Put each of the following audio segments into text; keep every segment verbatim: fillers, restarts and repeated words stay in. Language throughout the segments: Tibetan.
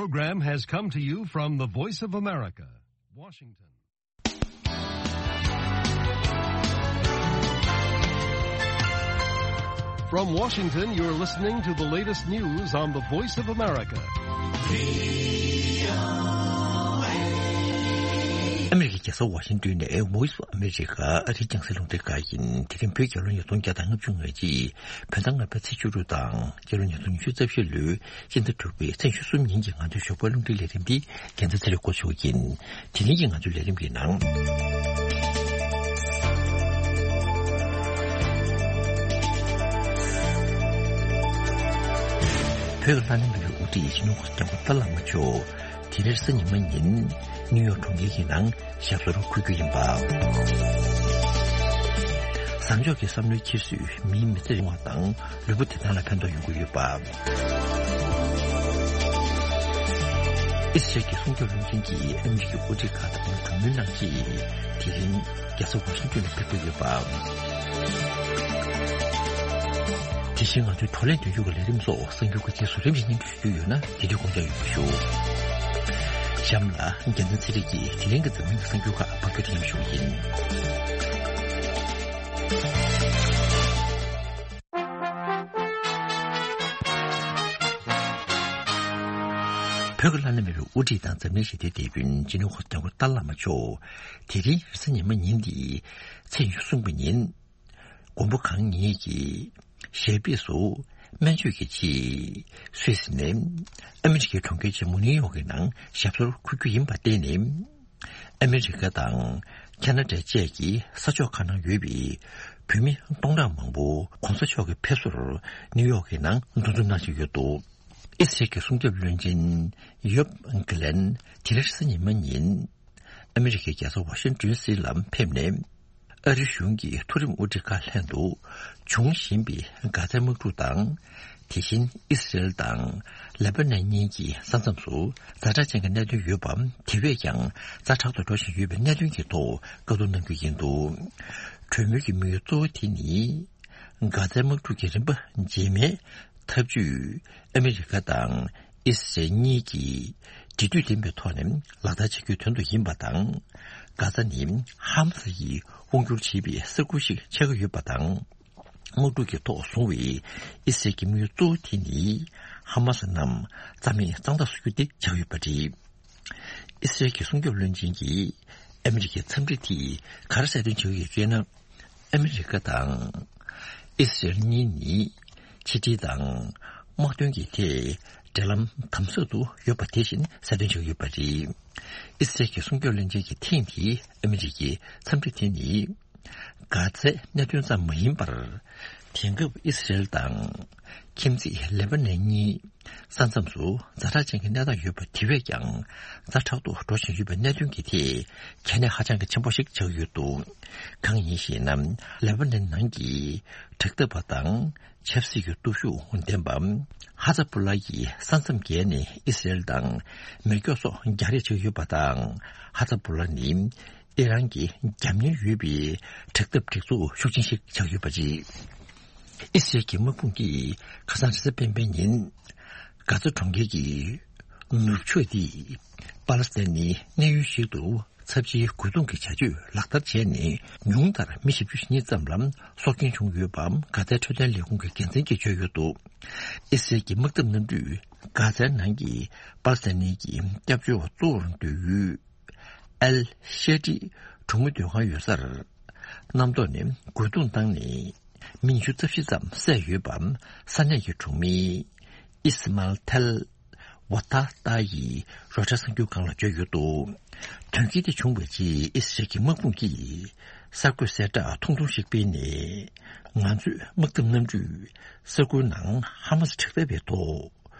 Program has come to you from the Voice of America, Washington. From Washington, you're listening to the latest news on the Voice of America. ཨ་མི་རི་ཀའི་རྒྱལ་ས་ཝ་ཤིང་ཏོན་ནས་Voice of America ཨ་རིའི་རྒྱང་སྲིང་རླུང་འཕྲིན་ཁང་ཡིན། དེ་རིང་བོད་རྒྱལ་ལོ་ཉིས་སྟོང་བརྒྱ་དང་ལྔ་བཅུ་ང་གཅིག་བོད་ཟླ་ལྔ་པའི་ཚེས་བཅུ་དྲུག་དང་རྒྱལ་ལོ་ཉིས་སྟོང་ཉི་ཤུ་རྩ་བཞི་ལོའི་སྤྱི་ཟླ་དྲུག་པའི་ཚེས་ཉི་ཤུ་གསུམ་ཉིན་གྱི་ང་ཚོའི་ཞོགས་པའི་རླུང་འཕྲིན་ལས་རིམ་འདི་རྒྱལ་མཚན་ཚེ་རིང་སྐུ་ཞབས་ཀྱིས། དེ་རིང་གི་ང་ཚོའི་ལས་རིམ་གྱི་ནང་། བོད་ཀྱི་ལྷ་ནང་གི་དབུ་ཁྲིད་སྤྱི་ནོར་༸གོང་ས་༸སྐྱབས་མགོན་ཏཱ་ལའི་བླ་མ་མཆོག་དེ་རིང་གཟའ་ཉི་མ་ཉིན་ནིའུ་ཡོག་གྲོང་ཁྱེར་གྱི་ནང་ཞབས་སོར་འཁོད་རྒྱུ་ཡིན་པ། བཟང་ཕྱོགས་ཀྱི་བསམ་བློའི་འཁྱེར་སོས་མིའི་མི་ཚེ་རིང་བ་དང་ལུས་པོ་བདེ་ཐང་ལ་ཕན་ཐོགས་ཡོང་གི་ཡོད་པ། ཨི་སི་རལ་གྱི་སྲུང་སྐྱོབ་བློན་ཆེན་གྱིས་ཨ་མི་རི་ཀའི་དབུ་ཁྲིད་ཁག་དང་གྲོས་མོལ་གནང་རྗེས་དེ་རིང་རྒྱལ་ས་ཝ་ཤིང་ཏོན་ལ་ཕེབས་ཀྱི་ཡོད་པ། དེ་བཞིན་ང་ཚོའི་བགྲོ་གླེང་མདུན་ལྕོག་གི་ལས་རིམ་སོགས་གསར་འགྱུར་གྱི་རྗེས་སུ་རིམ་བཞིན་སྙན་སྒྲོན་ཞུ་རྒྱུ་ཡོད་ན་དེ་དུས་དགོངས་འཇགས་ཡོད་པ་ཞུ། གཤམ་ལ་རྒྱལ་མཚན་ཚེ་རིང་གིས་དེ་རིང་གི་འཛམ་གླིང་གི་གསར་འགྱུར་ཁག་ཕབ་སྒྱུར་ཞུ་གི་ཡིན། བོད་ཀྱི་བླ་ན་མེད་པའི་དབུ་ཁྲིད་དང་འཛམ་གླིང་ཞི་བདེའི་དེད་དཔོན་སྤྱི་ནོར་༸གོང་ས་༸སྐྱབས་མགོན་ཏཱ་ལའི་བླ་མ་མཆོག་དེ་རིང་རེས་གཟའ་ཉི་མ་ཉིན་འདིའི་ཚེས་ཉི་ཤུ་གསུམ་པ་ཉིན། མགོན་པོ་གང་ཉིད་ཀྱི་ཞབས་པུས་སུ་སྨན་བཅོས་ཀྱི་ཆེད་སུད་སི་ནས་ཨ་མི་རི་ཀའི་གྲོང་ཁྱེར་ཆེན་མོ་ནིའུ་ཡོག་གི་ནང་ཞབས་སོར་འཁོད་རྒྱུ་ཡིན་པར་བརྟེན་ནས། ཨ་མི་རི་ཀ་དང་ཁ་ན་ཌ་བཅས་ཀྱི་ས་ཕྱོགས་ཁག་ནང་ཡོད་པའི་བོད་མི་སྟོང་ཕྲག་མང་པོ་གོང་ས་མཆོག་གི་ཕེབས་བསུར་ནིའུ་ཡོག་གི་ནང་འདུ་འཛོམས་གནང་བཞིན་ཡོད་འདུག་ཨི་སི་རལ་གྱི་སྲུང་སྐྱོབ་བློན་ཆེན་ཡོབ་གྷི་ལན་དེ་རིང་རེས་གཟའ་ཉི་མ་ཉིན་ཨ་མི་རི་ཀའི་རྒྱལ་ས་ཝ་ཤིང་ཏོན་ཌི་སི་ལ་ཕེབས་ནས། ཨ་རི་གཞུང་གི་མཐོ་རིམ་དབུ་ཁྲིད་ཁག་ལྷན་དུ་འབྱུང་བཞིན་པའི་གྷ་ཛའི་དམག་འཁྲུག་དང་། དེ་བཞིན་ཨི་སི་རེལ་དང་ལེ་པ་ནན་གཉིས་ཀྱི་ས་མཚམས་སུ་ཛ་དྲག་ཅན་གྱི་གནད་དོན་ཡོད་པ། དེ་བས་ཀྱང་ཛ་དྲག་ཏུ་འགྲོ་བཞིན་ཡོད་པའི་གནད་དོན་གྱི་ཐོག་བཀའ་བསྡུར་གནང་རྒྱུ་ཡིན་འདུག་གྲོས་མོལ་གྱི་དམིགས་ཡུལ་གཙོ་བོ་དེ་ནི། གྷ་ཛའི་དམག་འཁྲུག་གི་རིམ་པ་རྗེས་མའི་ཐབས་ཇུས་ཨ་མི་རི་ཀ་དང་ཨི་སི་རལ་གཉིས་ཀྱིས་འབྲེལ་མཐུད་ལྡན་པའི་ཐོག་ནས་ལག་བསྟར་བྱེད་རྒྱུའི་དོན་དུ་ཡིན་པ་དང་། གྷ་ཛ་ནི་ཧ་མ་སི་ཡིས་དབང་སྒྱུར་བྱེད་པའི་ས་ཁུལ་ཞིག་ཆགས་ཀྱི་ཡོད་པ་དང་། དམག་འཁྲུག་གི་ཐོག་བཟུང་བའི་ཨི་སི་རལ་གྱི་དམིགས་ཡུལ་གཙོ་བོ་དེ་ནི་ཧ་མ་སི་རྣམས་རྩ་མེད་གཙང་དག་བཟོ་རྒྱུ་དེ་ཆགས་ཡོད་པ་རེད། ཨི་སི་རལ་གྱི་སྲུང་སྐྱོབ་བློན་ཆེན་གྱིས་ཨ་མི་རི་ཀའི་འཚམས་འདྲི་དེས་ག་རེ་གསལ་སྟོན་བྱེད་ཀྱི་ཡོད་ཅེ་ན། ཨ་མི་རི་ཀ་དང་ཨི་སི་རལ་གཉིས་ནི་ཕྱི་འབྲེལ་དང་དམག་དོན་གྱི་ཐད་འབྲེལ་ལམ་དམ་ཟབ་ཏུ་ཡོད་པ་དེ་བཞིན་གསལ་སྟོན་བྱེད་ཀྱི་ཡོད་པ་རེད། ཨི་སི་རལ་གྱི་སྲུང་སྐྱོབ་བློན་ཆེན་གྱིས་ཐེངས་འདིའི་ཨ་མི་རི་ཀའི་འཚམས་འདྲི་དེ་ནི། གྷ་ཛའི་གནད་དོན་ཙམ་མ་ཡིན་པར། དེང་སྐབས་ཨི་སི་རེལ་དང་ཁྱིམ་མཚེས་ལེ་པ་ནན་གཉིས་ས་མཚམས་སུ་ཛ་དྲག་ཅན་གྱི་གནས་སྟངས་ཡོད་པ་དེ་བས་ཀྱང་ཛ་དྲག་ཏུ་འགྲོ་བཞིན་ཡོད་པའི་གནད་དོན་གྱི་ཐད་གལ་གནད་ཧ་ཅང་གི་ཆེན་པོ་ཞིག་ཆགས་ཡོད་འདུག་གང་ཡིན་ཞེ་ན། ལེ་པ་ནན་ནང་གི་དྲག་འཐབ་པ་དང་ཆབ་སྲིད་ཀྱི་སྟོབས་ཤུགས་ལྡན་པ་ཧ་ཛ་བུ་ལ་ཡི་ས་མཚམས་བརྒལ་ནས་ཨི་སི་རེལ་དང་མེ་སྒྱོགས་སོགས་རྒྱག་རེས་བྱེད་ཀྱི་ཡོད་པ་དང་། ཧ་ཛ་བུ་ལ་ནི། ཨི་རན་གྱི་རྒྱབ་གཉེར་ཡོད་པའི་དྲག་འཐབ་སྒྲིག་འཛུགས་ཤུགས་ཆེན་ཞིག་ཆགས་ཡོད་པ་རེད། ཨི་སི་རལ་གྱི་དམག་དཔུང་གིས་ཁ་སང་རེས་གཟའ་སྤེན་པའི་ཉིན། གྷ་ཛ་གྲོང་ཁྱེར་གྱི་ནུབ་ཕྱོགས་དེ་པ་ལེ་སི་ཐན་ནི་གནས་ཡུལ་ཞིག་ཏུ་ཚབས་ཆེའི་རྒོལ་རྡུང་གི་བྱ་སྤྱོད་ལག་བསྟར་བྱས་ནས། ཉུང་མཐར་མི་བཞི་བཅུ་ཞེ་གཉིས་ཙམ་ལ་སྲོག་སྐྱོན་བྱུང་ཡོད་པ་གྷ་ཛའི་འཕྲོད་བསྟེན་ལས་ཁུངས་ཀྱི་འགན་འཛིན་གྱིས་བརྗོད་ཡོད་འདུག་ཨི་སི་རལ་གྱི་དམག་འཐབ་གནམ་གྲུས་གྷ་ཛའི་ནང་གི་པ་ལེ་སི་ཐན་ནི་གི་སྐྱབས་བཅོལ་བ་གཙོ་བོར་འདོད་ཡུལ། ཨལ་ཤེ་ཏི་གྲོང་མི་སྡོད་ཁང་ཡོད་སར། གནམ་ཐོག་ནས་རྒོལ་རྡུང་བཏང་ནས། མི་ཉི་ཤུ་རྩ་བཞི་ཙམ་བསད་ཡོད་པ། ས་གནས་ཀྱི་གྲོང་མི། ཨི་སི་མལ་ཐལ། ཝ་ཐ་ཏཱ་ཡིས་རོའི་ཊར་གསར་འགྱུར་ཁང་ལ་བརྗོད་ཡོད་འདུག་དོན་རྐྱེན་དེ་བྱུང་བའི་རྗེས་ཨི་སི་རལ་གྱི་དམག་དཔུང་གིས་གསར་འགོད་གསལ་བསྒྲགས་ཐུང་ཐུང་ཞིག་སྤེལ་ནས། ང་ཚོས་དམག་འཐབ་གནམ་གྲུས་ས་ཁུལ་ནང་ཧ་མ་སི་དྲག་འཐབ་པའི་ཐོག་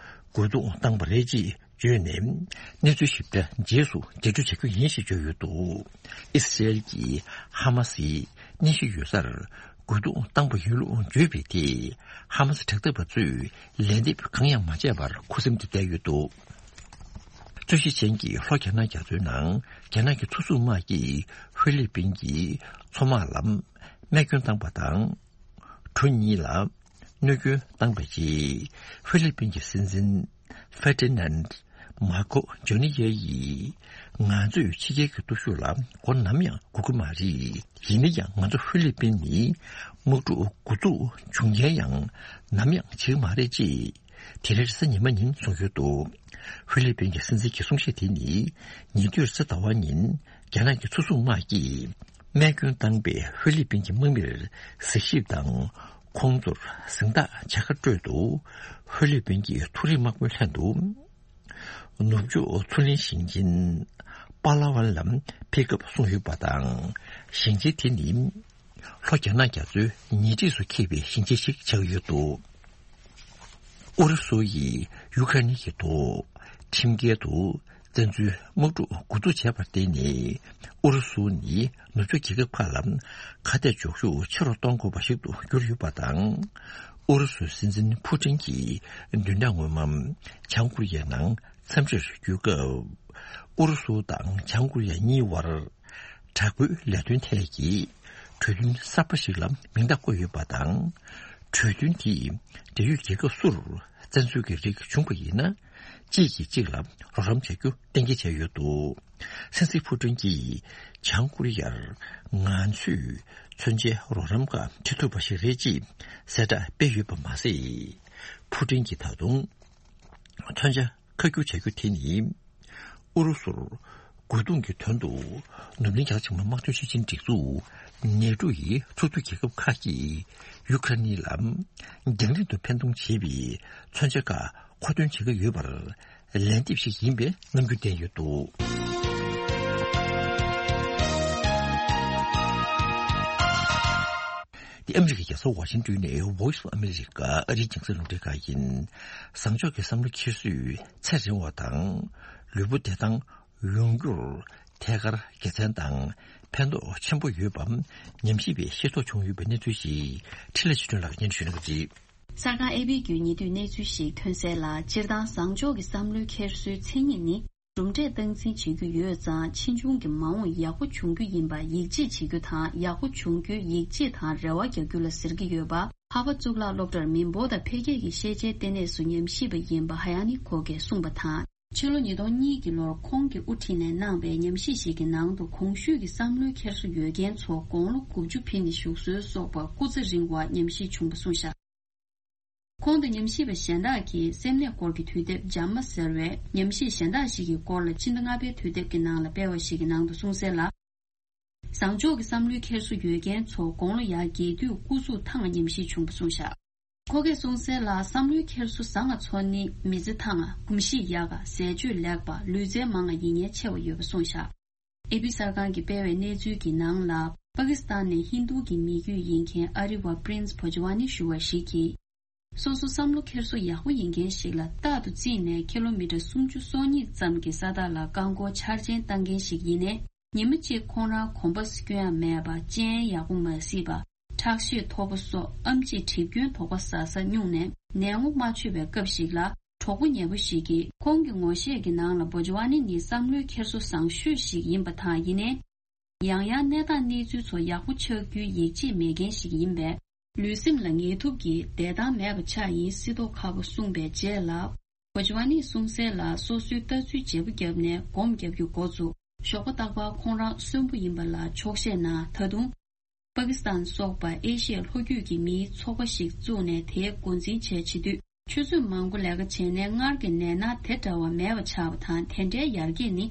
རྒོལ་རྡུང་བཏང་བ་རེད་ཅེས། བརྗོད་ནས། གནས་ཚུལ་ཞིབ་ཕྲ་རྗེས་སུ་རྒྱས་སྤྲོས་བྱ་རྒྱུ་ཡིན་ཞེས་བརྗོད་ཡོད་འདུག་ཨི་སི་རེལ་གྱིས་ཧ་མ་སིའི་གནས་གཞི་ཡོད་སར་རྒོལ་རྡུང་བཏང་པ་ཡིན་ལུགས་བརྗོད་པའི་ཐད། ཧ་མ་སི་དྲག་འཐབ་པ་ཚོས་ལན་འདེབས་གང་ཡང་མ་བྱས་པར་ཁུ་སིམ་དུ་བསྡད་ཡོད་འདུག་རྩོད་གཞི་ཅན་གྱི་ལྷོ་རྒྱ་ནག་རྒྱ་མཚོའི་ནང་རྒྱ་ནག་གི་མཚོ་འཛུགས་དམག་གིས་ཧྥི་ལི་པིན་གྱི་མཚོ་དམག་ལ་རྨས་སྐྱོན་བཏང་པ་དང་། གྲུ་གཉིས་ལ་གནོད་སྐྱོན་བཏང་པའི་རྗེས། ཧྥི་ལི་པིན་གྱི་སྲིད་འཛིན་ཧྥེ་ཏི་ནན། མར་ཁོ་ཇོ་ནི་ཡ་ཡིས། ང་ཚོས་ཕྱི་རྒྱལ་གྱི་སྟོབས་ཤུགས་ལ་མགོ་ནམ་ཡང་སྒུར་གྱི་མ་རེད། ཡིན་ན་ཡང་ང་ཚོ་ཧྥི་ལི་པིན་ནི་དམག་འཁྲུག་འགོ་འཛུགས་བྱུང་རྐྱེན་ཡང་ནམ་ཡང་བྱེད་ཀྱི་མ་རེད་ཅེས། དེ་རིང་རེས་གཟའ་ཉི་མ་ཉིན་གསུངས་ཡོད་འདུག་ཧྥི་ལི་པིན་གྱི་སྲིད་འཛིན་གྱི་གསུང་བཤད་དེ་ནི། ཉེ་དུས་རེས་གཟའ་ཟླ་བ་ཉིན། རྒྱ་ནག་གི་མཚོ་སྲུང་དམག་གིས། རྨས་སྐྱོན་བཏང་པའི་ཧྥི་ལི་པིན་གྱི་དམག་མིར་གཟིགས་ཞིབ་དང་། ཁོང་ཚོར་གཟེངས་རྟགས་བྱ་དགའ་སྤྲོད་དུ། ཧྥི་ལི་པིན་གྱི་མཐོ་རིམ་དམག་དཔོན་ལྷན་དུ། ནུབ་ཕྱོགས་མཚོ་གླིང་ཞིང་ཆེན་པ་ལ་ཝན་ལ་ཕེབས་སྐབས་གསུངས་ཡོད་པ་དང་། ཞིང་ཆེན་དེ་ནི་ལྷོ་རྒྱ་ནག་རྒྱ་མཚོའི་ཉེ་འཁྲིས་སུ་འཁེལ་བའི་ཞིང་ཆེན་ཞིག་ཆགས་ཡོད་འདུག་ཨུ་རུ་སུ་ཡིས་ཡུ་ཁ་ནི་གི་ཐོག་ཁྲིམས་འགལ་དུ་བཙན་འཛུལ་དམག་འཁྲུག་འགོ་འཛུགས་བྱས་པར་བརྟེན་ནས། ཨུ་རུ་སུ་ནི་ནུབ་ཕྱོགས་རྒྱལ་ཁབ་ཁག་ལ་ཁ་གཏད་གཅོག་ཤུགས་ཆེ་རུ་གཏོང་དགོས་པ་ཞིག་ཏུ་གྱུར་ཡོད་པ་དང་། ཨུ་རུ་སུའི་སྲིད་འཛིན་ཕུ་ཀྲིན་གྱིས་བདུན་ཕྲག་སྔོན་མ་བྱང་ཀོ་རི་ཡའི་ནང་འཚམས་འདྲིར་བསྐྱོད་སྐབས། ཨུ་རུ་སུ་དང་བྱང་ཀོ་རི་ཡ་གཉིས་བར་དྲག་པོའི་ལས་དོན་ཐད་ཀྱི་གྲོས་མཐུན་གསར་པ་ཞིག་ལ་མིང་རྟགས་བཀོད་ཡོད་པ་དང་། གྲོས་མཐུན་དེས་འབྲེལ་ཡོད་རྒྱལ་ཁབ་སུར་བཙན་འཛུལ་གྱི་རིགས་བྱུང་པ་ཡིན་ན། གཅིག་གིས་གཅིག་ལ་རོགས་རམ་བྱ་རྒྱུ་གཏན་འཁེལ་བྱས་ཡོད་འདུག་སྲིད་འཛིན་ཕུ་ཀྲིན་གྱིས་བྱང་ཀོ་རི་ཡར་ང་ཚོས་མཚོན་ཆའི་རོགས་རམ་ཁག་ཁྲིད་ཐུབ་པ་ཞིག་རེད་ཅེས་གསལ་བསྒྲགས་སྤེལ་ཡོད་པ་མ་ཟད། ཕུ་ཀྲིན་གྱིས་ད་དུང་མཚོན་ཆ་ཁ་བསྒྱུར་བྱ་རྒྱུ་དེ་ནི། ཨུ་རུ་སུར་རྒོལ་རྡུང་གི་དོན་དུ། ནུབ་གླིང་རྒྱ་ཆེ་མ་དམག་དོན་སྤྱི་ཆིངས་སྒྲིག་འཛུགས་ནེ་ཏོ་ཡི་ཚོགས་འདུ་རྒྱལ་ཁབ་ཁག་གིས་ཡུ་ཁ་ནི་ལ། རྒྱང་རིང་དུ་འཕེན་གཏོང་བྱེད་པའི་མཚོན་ཆ་ཁག་མཁོ་འདོན་བྱེད་ཀྱི་ཡོད་པར། ལན་འདེབས་ཤིག་ཡིན་པའི་རྣམ་འགྱུར་བསྟན་ཡོད་འདུག་འདི་ཨ་མི་རི་ཀའི་རྒྱལ་ས་ཝ་ཤིང་ཏོན་ནས་Voice of America ཨ་རིའི་རྒྱང་སྲིང་རླུང་འཕྲིན་ཁང་ཡིན། བཟང་ཕྱོགས་ཀྱི་བསམ་བློ་འཁྱེར་སོས་ཚེ་རིང་བ་དང་། ལུས་པོ་བདེ་ཐང་ཡོང་རྒྱུར་ཐད་ཀར་དགེ་མཚན་དང་ཕན་ཐོགས་ཆེན་པོ་ཡོད་པ་ཉམས་ཞིབ་པས་ཤེས་རྟོགས་བྱུང་ཡོད་པའི་གནས་ཚུལ་ཞིག་འཕྲིན་ལས་ཆོས་སྒྲོན་ལགས་སྙན་ཞུ་གནང་གི་རེད། གསར་ཁང་ཨེ་བྷི་བརྒྱུད་ཉེ་དུས་གནས་ཚུལ་ཞིག་ཐོན་གསལ་ལ། སྤྱིར་བཏང་བཟང་ཕྱོགས་ཀྱི་བསམ་བློའི་འཁྱེར་སོའི་མཚན་ཉིད་ནི། གྲུབ་འབྲས་སྟངས་འཛིན་བྱེད་རྒྱུ་ཡོད་ཙང་། ཕྱིས་འབྱུང་གི་མ་འོངས་ཡག་པོ་འབྱུང་རྒྱུ་ཡིན་པ་ཡིད་ཆེས་བྱེད་རྒྱུ་དང་། ཡག་པོ་འབྱུང་རྒྱུའི་ཡིད་ཆེས་དང་རེ་བ་རྒྱག་རྒྱུ་ལ་ཟེར་གྱི་ཡོད་པ། ཧ་ཝར་གཙུག་ལག་སློབ་གྲྭར་མི་འབོར་དང་འཕེལ་རྒྱས་ཀྱི་ཤེས་བྱའི་ལྟེ་གནས་སུ་ཉམས་ཞིབ་པ་ཡིན་པ་ཧ་ཡ་ནི་ཁོ་གས་གསུངས་པ་དང་། ཕྱི་ལོ་ཉིས་སྟོང་གཉིས་ཀྱི་ལོར་ཁོང་གིས་དབུ་ཁྲིད་ནས་གནང་པའི་ཉམས་ཞིབ་ཞིག་གི་ནང་དུ། གོང་ཞུས་ཀྱི་བསམ་བློའི་འཁྱེར་སོ་ཡོད་མཁན་ཚོ་དགུང་ལོ་དགུ་བཅུ་ཕྱིན་ནས་བཞུགས་སྲོལ་སོགས་པ་སྐུ་ཚེ་རིང་བར་ཉམས་ཞིབ་བྱུང་བ་གསུངས་བཞག་ཁོང་དང་ཉམས་ཞིབ་པ་གཞན་དག་གིས་སེམས་ནད་སྐོར་གྱི་དུས་དེབ་ཇཱ་མ་ཟེར་བའི་ཉམས་ཞིབ་གཞན་དག་ཞིག་གི་སྐོར་ལ་ཕྱི་ཟླ་ལྔ་པའི་དུས་དེབ་ཀྱི་ནང་ལ་སྤེལ་བ་ཞིག་གི་ནང་དུ་གསུངས་གསལ་ལ། བཟང་ཕྱོགས་ཀྱི་བསམ་བློའི་འཁྱེར་སོ་ཡོད་མཁན་ཚོ་དགུང་ལོ་ཡར་རྒས་དུས་སྐུ་གཟུགས་ཐང་ཉམས་ཞིབ་བྱུང་བ་གསུངས་བཞག་ཁོ་གས་གསུངས་གསལ་ལ། བསམ་བློའི་འཁྱེར་སོ་བཟང་ང་ཚོ་ནི་མི་ཚེ་ཐང་ང་གོམས་གཤིས་ཡག་ག་ཟས་སྤྱོད་ལེགས་པ་ལུས་རྩལ་མང་ང་ཡིན་ཉེན་ཆེ་བ་ཡོད་པ་གསུངས་བཞག་ཨེ་པི་གསར་ཁང་གིས་སྤེལ་བའི་གནས་ཚུལ་གྱི་ནང་ལ། པ་ཀི་སི་ཐན་ནས་ཧིན་རྡུ་གི་མི་རྒྱུད་ཡིན་མཁན་ཨ་རི་བ་པྲིན་སི་བོ་ཇི་ཝ་ནི་ཞུ་བ་ཞིག་གིས། སོ་སོ་བསམ་བློ་འཁྱེར་སོ་ཡག་པོ་ཡིན་མཁན་ཞིག་ལ་རྟག་ཏུ་བརྩིས་ནས་ཁི་ལོ་མི་ཊར་སུམ་ཅུ་སོ་གཉིས་ཙམ་གྱི་ས་ཐག་ལ་རྐང་འཁོར་འཆར་ཅན་བཏང་མཁན་ཞིག་ཡིན་ནའི། ཉི་མ་གཅིག་ཁོང་རང་གོམ་པ་སྐྱོན་ཡག་མེད་པ། སྤྱན་ཡག་པོ་མ་གཟིགས་པ། ཁྲག་ཤེད་མཐོ་པོ་སོགས་ཨེམ་ཆིས་གྲིབ་སྐྱོན་དོགས་པ་ཟ་ས་སྙུང་ནས་ནད་ངོ་མ་ཆོད་པའི་སྐབས་ཤིག་ལ། གྲོགས་པོ་ཉེ་པོ་ཞིག་གིས་ཁོང་གི་ངོ་ཤེས་ཀྱི་ནང་ལ་བོ་ཇི་ཝ་ནི་ནི་བསམ་བློའི་འཁྱེར་སོ་བཟང་ཤོས་ཤིག་ཡིན་པ་དང་། ཡིན་ནའི། ཡང་ཡང་གནས་སྟངས་གནས་ཚུལ་ཚོ་ཡག་པོ་ཆགས་རྒྱུའི་ཡིད་ཆེས་མེད་མཁན་ཞིག་ཡིན་པས། ལུས་སེམས་ལ་ངལ་དུབ་ཀྱིས་བསྡད་ཐང་མེད་པ་ཆགས་ཡིན་སྲིད་མདོག་ཁ་པོ་གསུངས་པའི་རྗེས་ལ། བོ་ཇི་ཝ་ནིས་གསུངས་གསལ་ལ། སོ་སོའི་ལྟ་ཚུལ་བརྗེ་པོ་བརྒྱབ་ནས་སྒོམ་རྒྱབ་རྒྱུ་འགོ་བཙུགས། ཞོགས་པ་རྟག་པར་ཁོང་རང་གསོན་པོ་ཡིན་པ་ལ་ཆོག་ཤེས་གནང་། ད་དུང་། པ་ཀི་སི་ཐན་སོགས་པ་ཨེ་ཤི་ཡའི་ལྷོ་རྒྱུད་ཀྱི་མིའི་ཚོགས་པ་ཞིག་བཙུགས་ནས་དེའི་འགོ་འཛིན་བྱས་བྱེད་དུས། ཆུ་ཚོད་མང་པོ་ལས་ཀ་བྱས་ནས་སྔར་གྱི་ནད་མནར་དེ་འདྲ་བ་མེད་པ་ཆགས་པ་དང་། དེ་འདྲའི་ཡར་རྒྱས་ནི།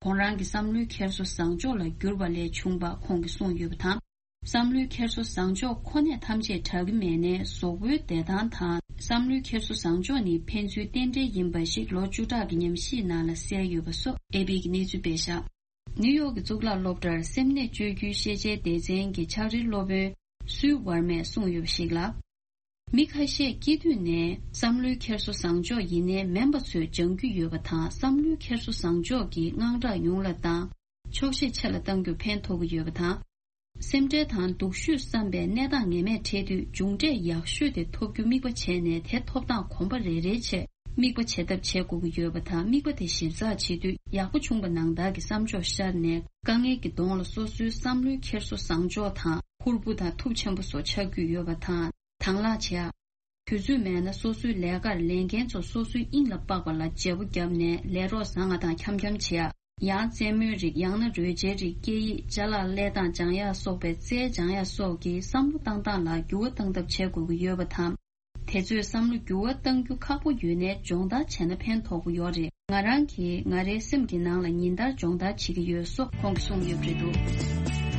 ཁོང་རང་གི་བསམ་བློའི་འཁྱེར་སོ་བཟང་ཕྱོགས་ལ་གྱུར་པ་ལས་བྱུང་བ་ཁོང་གིས་གསུངས་ཡོད་པ་དང་། བསམ་བློའི་འཁྱེར་སོ་བཟང་ཕྱོགས་ཁོ་ནས་ཐམས་ཅད་དྲག་གི་མེད་ནའི། གཟུགས་པོའི་བདེ་ཐང་དང་། བསམ་བློའི་འཁྱེར་སོ་བཟང་ཕྱོགས་ནི་ཕན་ཚུན་རྟེན་འབྲེལ་ཡིན་པ་ཞིག་ལོ་བཅུ་ཕྲག་གི་ཉམས་ཞིབ་ནང་ལ་གསལ་ཡོད་པ་སོགས་ཨེ་པི་གི་གནས་ཚུལ་སྤེལ་བཞག་ནིའུ་ཡོག་གི་གཙུག་ལག་སློབ་གྲྭར་སེམས་ནད་བཅོས་རྒྱུའི་ཤེས་བྱའི་སྡེ་ཚན་གྱི་ཕྱག་བྲིས་སློབ་དཔོན་སུའུ་ཝར་མས་གསུངས་ཡོད་པ་ཞིག་ལ། མི་ཁ་ཤས་སྐྱེས་དུས་ནས་བསམ་བློའི་འཁྱེར་སོ་བཟང་ཕྱོགས་ཡིན་ནའི་མིན་པ་ཚོས་སྦྱང་རྒྱུ་ཡོད་པ་དང་། བསམ་བློའི་འཁྱེར་སོ་བཟང་ཕྱོགས་ཀྱིས་དངངས་སྐྲག་ཉུང་ལ་བཏང་། ཆོག་ཤེས་ཆེ་ལ་གཏང་རྒྱུར་ཕན་ཐོགས་ཀྱི་ཡོད་པ་དང་། སེམས་ཁྲལ་དང་སྡུག་ཤོས་བསམ་པའི་གནས་སྟངས་ངེས་མེད་འཕྲད་དུས་མཇུག་འབྲས་ཡག་ཤོས་དེ་ཐོབ་རྒྱུ་དམིགས་པ་བྱས་ནས། དེ་ཐོབ་སྟངས་གོམ་པ་རེ་རེའི་ཆེད་དམིགས་པ་བྱེད་ཐབས་བྱེད་དགོས་ཀྱི་ཡོད་པ་དང་། དམིགས་པ་དེ་ཞིབ་ཚགས་བྱེད་དུས་ཡག་པོ་བྱུང་བ་ནང་ལྟར་གྱི་བསམ་ཕྱོགས་ཤར་ནས། དཀའ་ངལ་གྱི་གདོང་ལ་སོ་སོའི་བསམ་བློའི་འཁྱེར་སོ་བཟང་ཕྱོགས་དང་། ཕུར་བུ་དང་ཐུབ་ཆེན་པོ་སོགས་ཆགས་རྒྱུ་ཡོད་པ་དང་། དང་བླངས་བྱེད་ཡག་དུས་ཚོད་མེད་ན་སོ་སོའི་ལས་ཀར་ལས་འགན་ཚོ་སོ་སོའི་དབྱིངས་ལ་དཔག་པ་ལ་བརྗེ་པོ་བརྒྱབ་ནས་ལས་རོགས་བཟང་ང་དང་འཁྱམ་འཁྱམ་བྱེད་ཡ། ཡང་རྩེད་མོའི་རིགས་ཡང་ན་རོལ་ཆའི་རིགས་སྐད་ཡིག་ཅ་ལག་ལས་སྟངས་སྦྱང་ཡ་སོགས་པའི་རྩལ་སྦྱང་ཡ་སོགས་ཀྱི་བསམ་བློ་བཏང་སྟངས་ལ་འགྱུར་བ་བཏང་ཐབས་བྱེད་དགོས་ཀྱི་ཡོད་པ་དང་། དེ་ཚོས་བསམ་བློ་འགྱུར་བ་གཏང་རྒྱུ་ཁག་པོ་ཡོད་ནའི་སྦྱོང་བརྡར་བྱས་ན་ཕན་ཐོགས་ཀྱི་ཡོད་རེད། ང་རང་གིས་ང་རའི་སེམས་ཀྱི་ནང་ལ་ཉིན་ལྟར་སྦྱོང་བརྡར་བྱེད་ཀྱི་ཡོད་སོགས་ཁོང་གིས་གསུངས་ཡོད་པ་རེད་འདུག་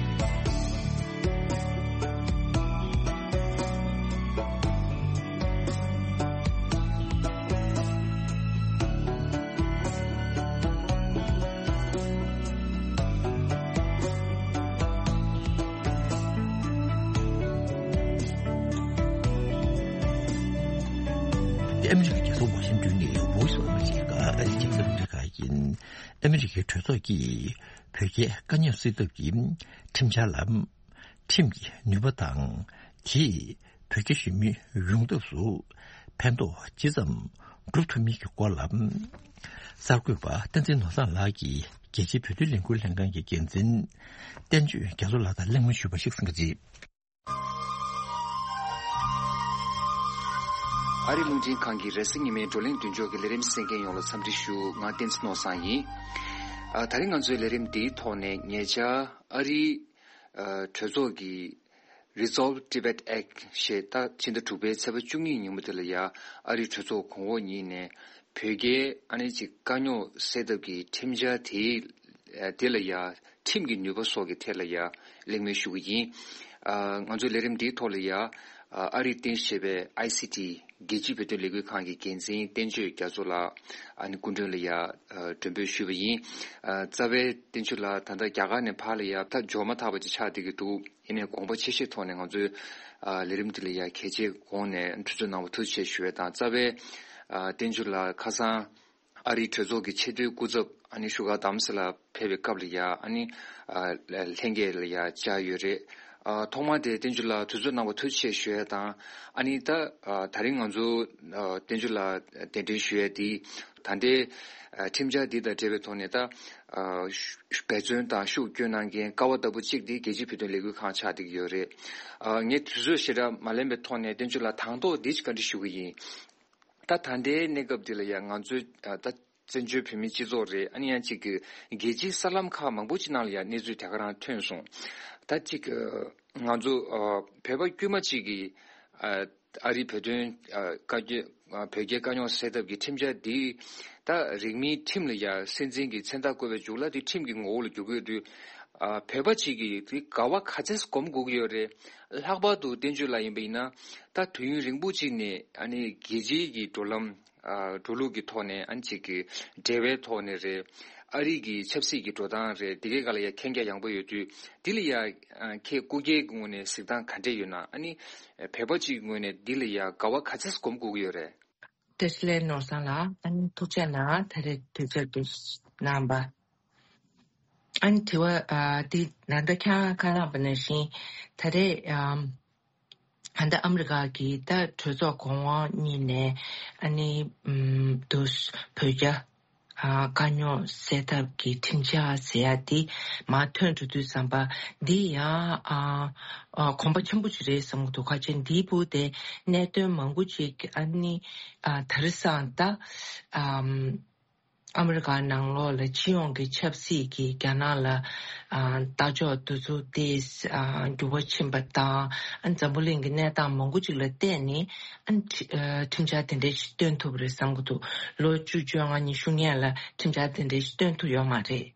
ཨ་མི་རི་ཀའི་རྒྱལ་ས་ཝ་ཤིང་ཏོན་ནས་Voice of America ཨ་རིའི་རྒྱང་སྲིང་རླུང་འཕྲིན་ཁང་ཡིན། ཨ་མི་རི་ཀའི་གྲོས་ཚོགས་ཀྱིས་བོད་རྒྱའི་དཀའ་རྙོག་སེལ་ཐབས་ཀྱི་ཁྲིམས་འཆར་ལ་ཁྲིམས་ཀྱི་ནུས་པ་དང་། དེས་བོད་རྒྱ་ཞི་མོལ་ཡོང་ཐབས་སུ་ཕན་ཐོགས་ཇི་ཙམ་སྒྲུབ་ཐུབ་མིན་གྱི་སྐོར་ལ། གསར་འགོད་པ་བསྟན་འཛིན་ནོར་བཟང་ལགས་ཀྱིས་རྒྱལ་སྤྱིའི་བོད་དོན་ལས་འགུལ་ལྷན་ཁང་གི་འགན་འཛིན་བསྟན་ཆོས་རྒྱ་མཚོ་ལགས་དང་གླེང་མོལ་ཞུས་པ་ཞིག་གསན་གྱི་རེད། ཨ་རི་རླུང་འཕྲིན་ཁང་གི་རེས་གཟའ་ཉི་མའི་བགྲོ་གླེང་མདུན་ལྕོག་གི་ལས་རིམ་གསན་མཁན་ཡོངས་ལ་འཚམས་འདྲི་ཞུ། ང་བསྟན་འཛིན་ནོར་བཟང་ཡིན། ཨ། ད་རིང་ང་ཚོའི་ལས་རིམ་འདིའི་ཐོག་ནས་ཉེ་ཆར་ཨ་རིའི་ཨ། གྲོས་ཚོགས་ཀྱིས་Resolve Tibet Act ཞེས་ད་ཕྱི་ཟླ་དྲུག་པའི་ཚེས་པ་བཅུ་གཉིས་ཉིན་མོ་དེ་ལ་ཡ་ཨ་རིའི་གྲོས་ཚོགས་གོང་འོག་གཉིས་ནས་བོད་རྒྱའི་ཨ་ནི་ཅིག་དཀའ་རྙོག་སེལ་ཐབས་ཀྱི་ཁྲིམས་འཆར་དེའི་དེ་ལ་ཡ་ཁྲིམས་ཀྱི་ནུས་པ་སོགས་ཀྱི་ཐད་ལ་ཡ་གླེང་མོལ་ཞུ་གི་ཡིན། ཨ། ང་ཚོའི་ལས་རིམ་འདིའི་ཐོག་ལ་ཡ་ཨ་རིས་རྟེན་གཞི་བྱས་པའི་ཨའི་སི་ཊི་རྒྱལ་སྤྱིའི་བོད་དོན་ལས་འགུལ་ཁང་གི་འགན་འཛིན་བསྟན་ཆོས་རྒྱ་མཚོ་ལགས་ཨ་ནི་སྐུ་མགྲོན་ལ་ཡ་མགྲོན་འབོད་ཞུས་པ་ཡིན། ཨ། རྩ་བའི་བསྟན་ཆོས་ལགས་ད་ལྟ་རྒྱ་གར་ནས་ཕར་ལ་ཡ་ད་འབྱོར་མ་ཐག་པ་ཅིག་ཆགས་བསྡད་ཀྱི་འདུག་ཡིན་ནའི་དགོངས་པ་ཆེ་བཞེས་ཐོག་ནས་ང་ཚོའི་ཨ་ལས་རིམ་འདི་ལ་ཡ་གལ་ཆེའི་སྒོ་ནས་འཁྲུངས་སྐར་གནང་བ་ཐུགས་རྗེ་ཆེ་ཞུ་བ་དང་། རྩ་བའི་ཨ་བསྟན་ཆོས་ལགས་ཁ་སང་ཨ་རིའི་གྲོས་ཚོགས་ཀྱི་ཆེས་མཐོའི་སྐུ་ཚབ་ཨ་ནི་བཞུགས་སྒར་རྡ་རམ་ས་ལར་ཕེབས་པའི་སྐབས་ལ་ཡ་ཨ་ནི་ཨ་ལྷན་རྒྱས་ལ་ཡ་བཅར་ཡོད་རེད། ཨ་ཐོག་མར་དེ་བསྟན་ཆོས་ལགས་དུས་ཚོད་གནང་བ་ཐུགས་རྗེ་ཆེ་ཞུ་ཡ་དང་། ཨ་ནི་ད་ཨ་དེ་རིང་ང་ཚོ་ཨ་བསྟན་ཆོས་ལགས་གདན་འདྲེན་ཞུ་ཡ་དེ་ད་ལྟའི་ཨ་ཁྲིམས་འཆར་འདི་དང་འབྲེལ་བའི་ཐོག་ནས་ད་ཨ་ཤུ་འབད་བརྩོན་དང་ཤུགས་བསྐྱོན་གནང་མཁན་ཀ་བ་ལྟ་བུ་གཅིག་དེ་རྒྱལ་སྤྱིའི་བོད་དོན་ལས་འགུལ་ཁང་ཆགས་བསྡད་ཀྱི་ཡོད་རེད། ཨ་ངས་དུས་ཚོད་ཞེ་དྲག་མ་ལེན་པའི་ཐོག་ནས་བསྟན་ཆོས་ལགས་དང་ཐོག་འདི་ཅིག་བཀའ་འདྲི་ཞུ་གི་ཡིན། ད་ད་ལྟའི་གནས་སྐབས་འདི་ལ་ཡང་ང་ཚོའི་ཨ་ད་བཙན་བྱོལ་བོད་མིའི་སྤྱི་ཚོགས་རེད། ཨ་ནི་ཡང་གཅིག་གི་རྒྱལ་སྤྱིའི་གསར་ལམ་ཁག་མང་པོ་ཅིག་ནང་ལ་ཡང་གནས་ཚུལ་དེ་ག་རང་ཐོན་སོང་། ད་གཅིག་གི་ང་ཚོ་ཨ་བོད་པ་དཀྱུས་མ་གཅིག་གི་ཨ་ཨ་རིའི་བོད་དོན་ཨ་བཀའ་བརྒྱུད་ཨ་བོད་རྒྱའི་དཀའ་རྙོག་སེལ་ཐབས་ཀྱི་ཁྲིམས་འཆར་འདི་ད་རིང་མིན་ཁྲིམས་ལ་ཡང་སྲིད་འཛིན་གྱི་མཚན་རྟགས་བཀོད་པའི་མཇུག་ལ་དེ་ཁྲིམས་ཀྱི་ངོ་བོ་ལ་འགྱུར་གྱི་ཡོད་དུས། ཨ་བོད་པ་གཅིག་གིས་དེ་ག་བ་ག་ཚད་སྒོམ་དགོས་ཀྱི་ཡོད་རེད། ལྷག་པར་དུ་བསྟན་བཅོས་ལ་ཡིན་པ་ཡིན་ན་ད་དུས་ཡུན་རིང་པོ་གཅིག་ནས་ཨ་ནི་རྒྱལ་སྤྱིའི་གི་འགྲོ་ལམ་ཨ་འགྲོ་ལུགས་ཀྱི་ཐོག་ནས་ཨ་ནི་གཅིག་གི་འབྲེལ་བའི་ཐོག་ནས་རེད། ཨ་རི་གི་ཆབ་སྲིད་ཀྱི་འགྲོ་སྟངས་རེད། དེ་གའི་སྒང་ལ་ཡ་མཁྱེན་རྒྱ་ཡངས་པོ་ཡོད་དུས་དེ་ལ་ཡ་ཨ་ཁྱེད་སྐུ་སྒེར་གྱི་ངོས་ནས་གཟིགས་སྟངས་ག་འདྲས་ཡོད་ན། ཨ་ནི་བོད་པ་གཅིག་གི་ངོས་ནས་འདི་ལ་ཡ་ག་བ་ག་ཚད་སྒོམ་དགོས་ཀྱི་ཡོད་རེད། བཀྲ་ཤིས་བདེ་ལེགས་ནོར་བཟང་ལགས། ཨ་ནི་ཐུགས་རྗེ་གནང་། ད་རེས་དུས་ཚོད་འདི་གནང་བ། ཨ་ནི་དྲི་བ་ཨ་འདི་ད་ལྟ་ཁྱེད་རང་ཁ་ལག་པ་ནང་བཞིན་ད་རེས་ཨམ་ད་ལྟ་ཨ་མི་རི་ཀ་གི་ད་གྲོས་ཚོགས་གོང་འོག་གཉིས་ནས་ཨ་ནི་ཨམ་དུ་བོད་རྒྱ་ཨ་དཀའ་རྙོག་སེལ་ཐབས་ཀྱི་ཁྲིམས་འཆར་ཟེར་ཡ་འདི་མར་ཐོན་འགྲོ་དུས་ཙམ་པ་འདི་ཡང་ཨ་ཨ་གོམ་པ་ཆེན་པོ་ཞིག་རེད་བསམ་གྱི་འདུག་ཁ་ཆེ་འདིའི་བུ་དེ་གནད་དོན་མང་པོ་ཅིག་ཨ་ནི་ཨ་ད་རེས་སང་ད་ཨམ། ཨ་མི་རི་ཀ་ནང་ལོགས་ལ་སྤྱི་ཡོངས་ཀྱི་ཆབ་སྲིད་ཀྱི་རྒྱ་ནག་ལ་ཨ་ལྟ་ཕྱོགས་འདི་ཚོ་ཏོག་ཙམ་ཨ་འགྱུར་བ་ཕྱིན་པ་དང་། ཨ་འཛམ་བུ་གླིང་གི་གནས་སྟངས་མང་པོ་ཅིག་ལ་བལྟས་ནས་ཨ་ཁྲི་ཨ་ཁྲིམས་འཆར་དེ་འདྲ་ཞིག་བཏོན་ཐུབ་པ་རེད་བསམ་གྱི་འདུག་ལོ་བཅུ་བཅོ་ལྔ་ཉི་ཤུ་སྔོན་ལ་ཁྲིམས་འཆར་དེ་འདྲ་ཞིག་བཏོན་ཐུབ་ཡོད་མ་རེད།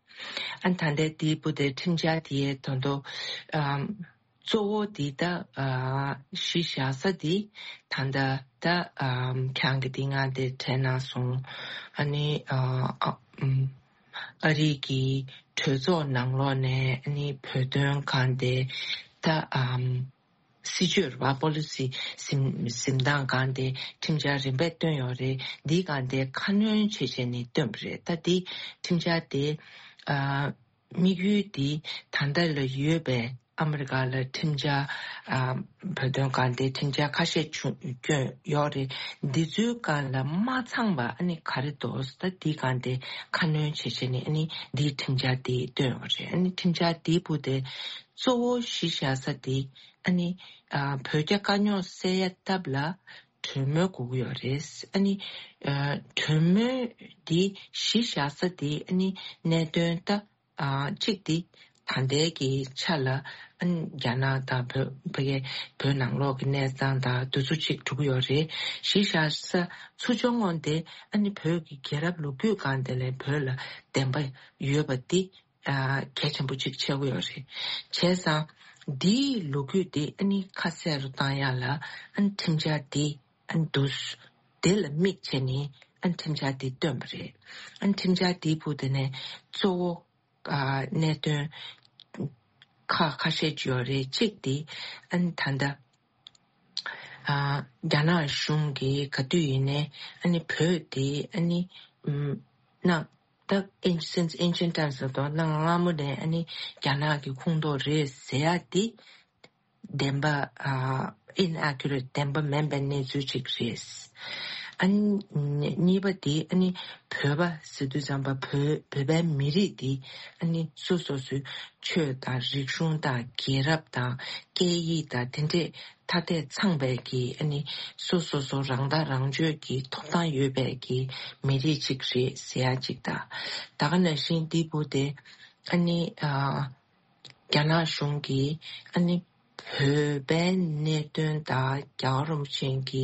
ཨ་ད་ལྟའི་དེའི་བུ་དེ་ཁྲིམས་འཆར་དེའི་དོན་དུ་ཨ་གཙོ་བོ་འདི་ད་ཨ་གཞི་བཞག་ས་འདི་ད་ལྟ་ད་ཨ་ཁྱེད་རང་གིས་འདི་སྔ་དེ་དྲན་གནང་སོང་། ཨ་ནི་ཨ་ཨ་ཨམ་ཨ་རི་གི་གྲོས་ཚོགས་ནང་ལོགས་ནས་ཨ་ནི་བོད་དོན་སྒང་དེ་ད་ཨམ་སྲིད་བྱུས་རེད་པ། པོ་ལི་སི་འཛིན་འཛིན་སྟངས་སྒང་དེ་ཁྲིམས་འཆར་རིམ་པས་བཏོན་ཡོད་རེད། འདིའི་སྒང་དེ་ཁ་སྣོན་བྱས་བྱས་ནས་བཏོན་པ་རེད། ད་འདི་ཁྲིམས་འཆར་དེ་ཨ་དམིགས་ཡུལ་འདི་ད་ལྟ་ལ་ཡོད་པའི་ཨ་མི་རི་ཀ་ལ་ཁྲིམས་འཆར་ཨ་བོད་དོན་སྒང་དེ་ཁྲིམས་འཆར་ཁ་ཤས་བྱུང་བསྐྱོན་ཡོད་རེད། འདི་ཚོའི་སྒང་ལ་མ་ཚང་བ་ཨ་ནི་ག་རེ་འདུག་ད་འདི་སྒང་དེ་ཁ་སྣོན་བྱས་བྱས་ནས་ཨ་ནི་འདིའི་ཁྲིམས་འཆར་དེ་བཏོན་ཡོད་རེད། ཨ་ནི་ཁྲིམས་འཆར་དེའི་བུ་དེ་གཙོ་བོ་གཞི་བཞག་ས་དེ་ཨ་ནི་ཨ་བོད་རྒྱ་དཀའ་རྙོག་སེལ་ཡ་ཐབས་ལ་ གྲོས་མོལ་དགོས་ཀྱི་ཡོད་རེད། ཨ་ནི་ཨ་གྲོས་མོལ་འདི་གཞི་བཞག་ས་དེ་ཨ་ནི་གནད་དོན་ད་ཨ་གཅིག་དེ་ད་ལྟའི་གི་ཆ་ལ་ཨ་ནི་རྒྱ་ནག་དང་བོད་ཕ་གི་བོད་ནང་ལོགས་ཀྱི་གནས་སྟངས་དང་དེ་ཚོ་གཅིག་འགྲོ་གི་ཡོད་རེད། གཞི་བཞག་ས་ཚུར་ཕྱོགས་ངོས་དེ་ཨ་ནི་བོད་ཀྱི་རྒྱལ་རབས་ལོ་རྒྱུས་སྒང་དེ་ལ་བོད་ལ་བདེན་པ་ཡོད་པ་དེ་ཨ་གལ་ཆེན་པོ་གཅིག་ཆགས་ཀྱི་ཡོད་རེད། བྱས་ཙང་འདིའི་ལོ་རྒྱུས་དེ་ཨ་ནི་ཁ་གསལ་རུ་བཏང་ཡག་ལ་ཨ་ནི་ཁྲིམས་འཆར་དེ་ཨ་ནི་འདུག་དེ་ལ་དམིགས་བྱས་ནས་ཨ་ནི་ཁྲིམས་འཆར་དེ་བཏོན་པ་རེད། ཨ་ནི་ཁྲིམས་འཆར་དེའི་ཕུགས་དེ་ནས་གཙོ་བོ་ཨ་གནད་དོན་ཁག་ཁ་ཤས་ཅིག་ཡོད་རེད། གཅིག་དེ་ཨ་ནི་ད་ལྟ་ཨ་རྒྱ་ནག་གཞུང་གིས་ག་དུས་ཡིན་ནའི་ཨ་ནི་བོད་དེ་ཨ་ནི་ཨམ་གནའ་ད་since ancient times ལབ་དུས་གནའ་སྔ་མོ་ནས་ཨ་ནི་རྒྱ་ནག་གི་ཁོངས་གཏོགས་རེད་ཟེར་ཡག་དེ་བདེན་པ་ཨ་inaccurate བདེན་པ་མིན་པའི་གནས་ཚུལ་ཅིག་རེད། ཨ་ནི་གཉིས་པ་དེ་ཨ་ནི་བོད་པ་ཟེར་དུས་ཙམ་པ་བོད་བོད་པའི་མི་རིགས་དེ་ཨ་ནི་སོ་སོ་སོའི་ཆོས་དང་རིག་གཞུང་དང་རྒྱལ་རབས་དང་སྐད་ཡིག་དང་དེ་འདྲས་ཐ་དད་ཚང་བའི་གི་ཨ་ནི་སོ་སོ་སོ་རང་ཐག་རང་གཅོད་ཀྱི་ཐོབ་ཐང་ཡོད་པའི་གི་མི་རིགས་ཅིག་རེད་ཟེར་ཡག་ཅིག་དང་། ད་ག་ནང་བཞིན་འདི་བོ་དེ་ཨ་ནི་ཨ་རྒྱ་ནག་གཞུང་གིས་ཨ་ནི་བོད་པའི་གནད་དོན་དང་རྒྱལ་བ་རིན་པོ་ཆེ་གི་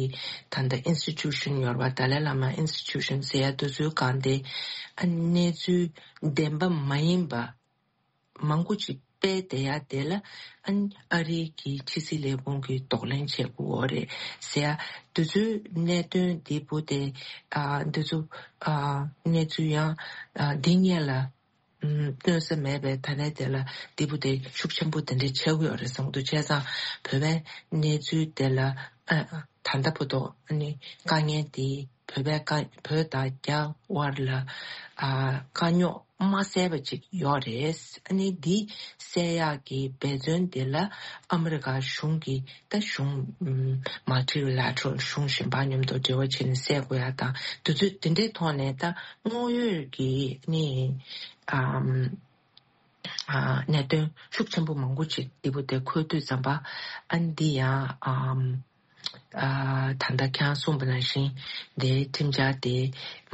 ད་ལྟ་institution ཡོད་པ་ཏཱ་ལའི་བླ་མ་institution ཟེར་ཡག་དེ་ཚོའི་སྒང་དེ་ཨ་ནི་གནས་ཚུལ་བདེན་པ་མ་ཡིན་པ་མང་པོ་ཅིག་སྤེལ་བསྡད་ཡག་དེ་ལ་ཨ་ནི་ཨ་རི་གི་ཕྱི་སྲིད་ལས་ཁུངས་ཀྱིས་གདོང་ལེན་བྱེད་དགོས་རེད་ཟེར་ཡག་དེ་ཚོའི་གནད་དོན་འདི་བོ་དེ་ཨ་དེ་ཚོ་ཨ་གནས་ཚུལ་ཡང་ཨ་འདི་སྔོན་ལ་ཨམ་སྟོན་ས་མེད་པའི་ད་ལན་དེ་ལ་འདི་བོ་དེ་ཤུགས་ཆེན་པོ་དེ་འདྲ་ཆགས་ཀྱི་ཡོད་རེད་བསམ་གྱི་འདུག་བྱས་ཙང་བོད་པའི་གནས་ཚུལ་དེ་ལ་ཨ་ད་ལྟ་བར་དུ་ཨ་ནི་དཀའ་ངལ་དེ་བོད་པའི་དཀའ་བོད་དང་རྒྱ་དབར་ལ་ཨ་དཀའ་རྙོག་མ་སེལ་བ་ཅིག་ཡོད་རེད། ཨ་ནི་འདི་སེལ་ཡག་གི་འབད་བརྩོན་དེ་ལ་ཨ་མི་རི་ཀ་གཞུང་གིས་ད་གཞུང་ཨམ་multilateral གཞུང་གཞན་པ་མཉམ་དུ་འབྲེལ་བ་བྱས་ནས་སེལ་དགོས་ཡག་དང་དེ་ཚོ་དེ་འདྲའི་ཐོག་ནས་ད་དངོས་ཡོད་ཀྱི་ནི་ཨམ་ཨ་གནད་དོན་ཤུགས་ཆེན་པོ་མང་པོ་ཅིག་འདི་བོ་དེ་འཁོད་དུས་ཙམ་པ་ཨ་ནི་འདི་ཡང་ཨམ་ཨ་ད་ལྟ་ཁྱེད་རང་གསུངས་པ་ནང་བཞིན་དེ་ཁྲིམས་འཆར་དེ་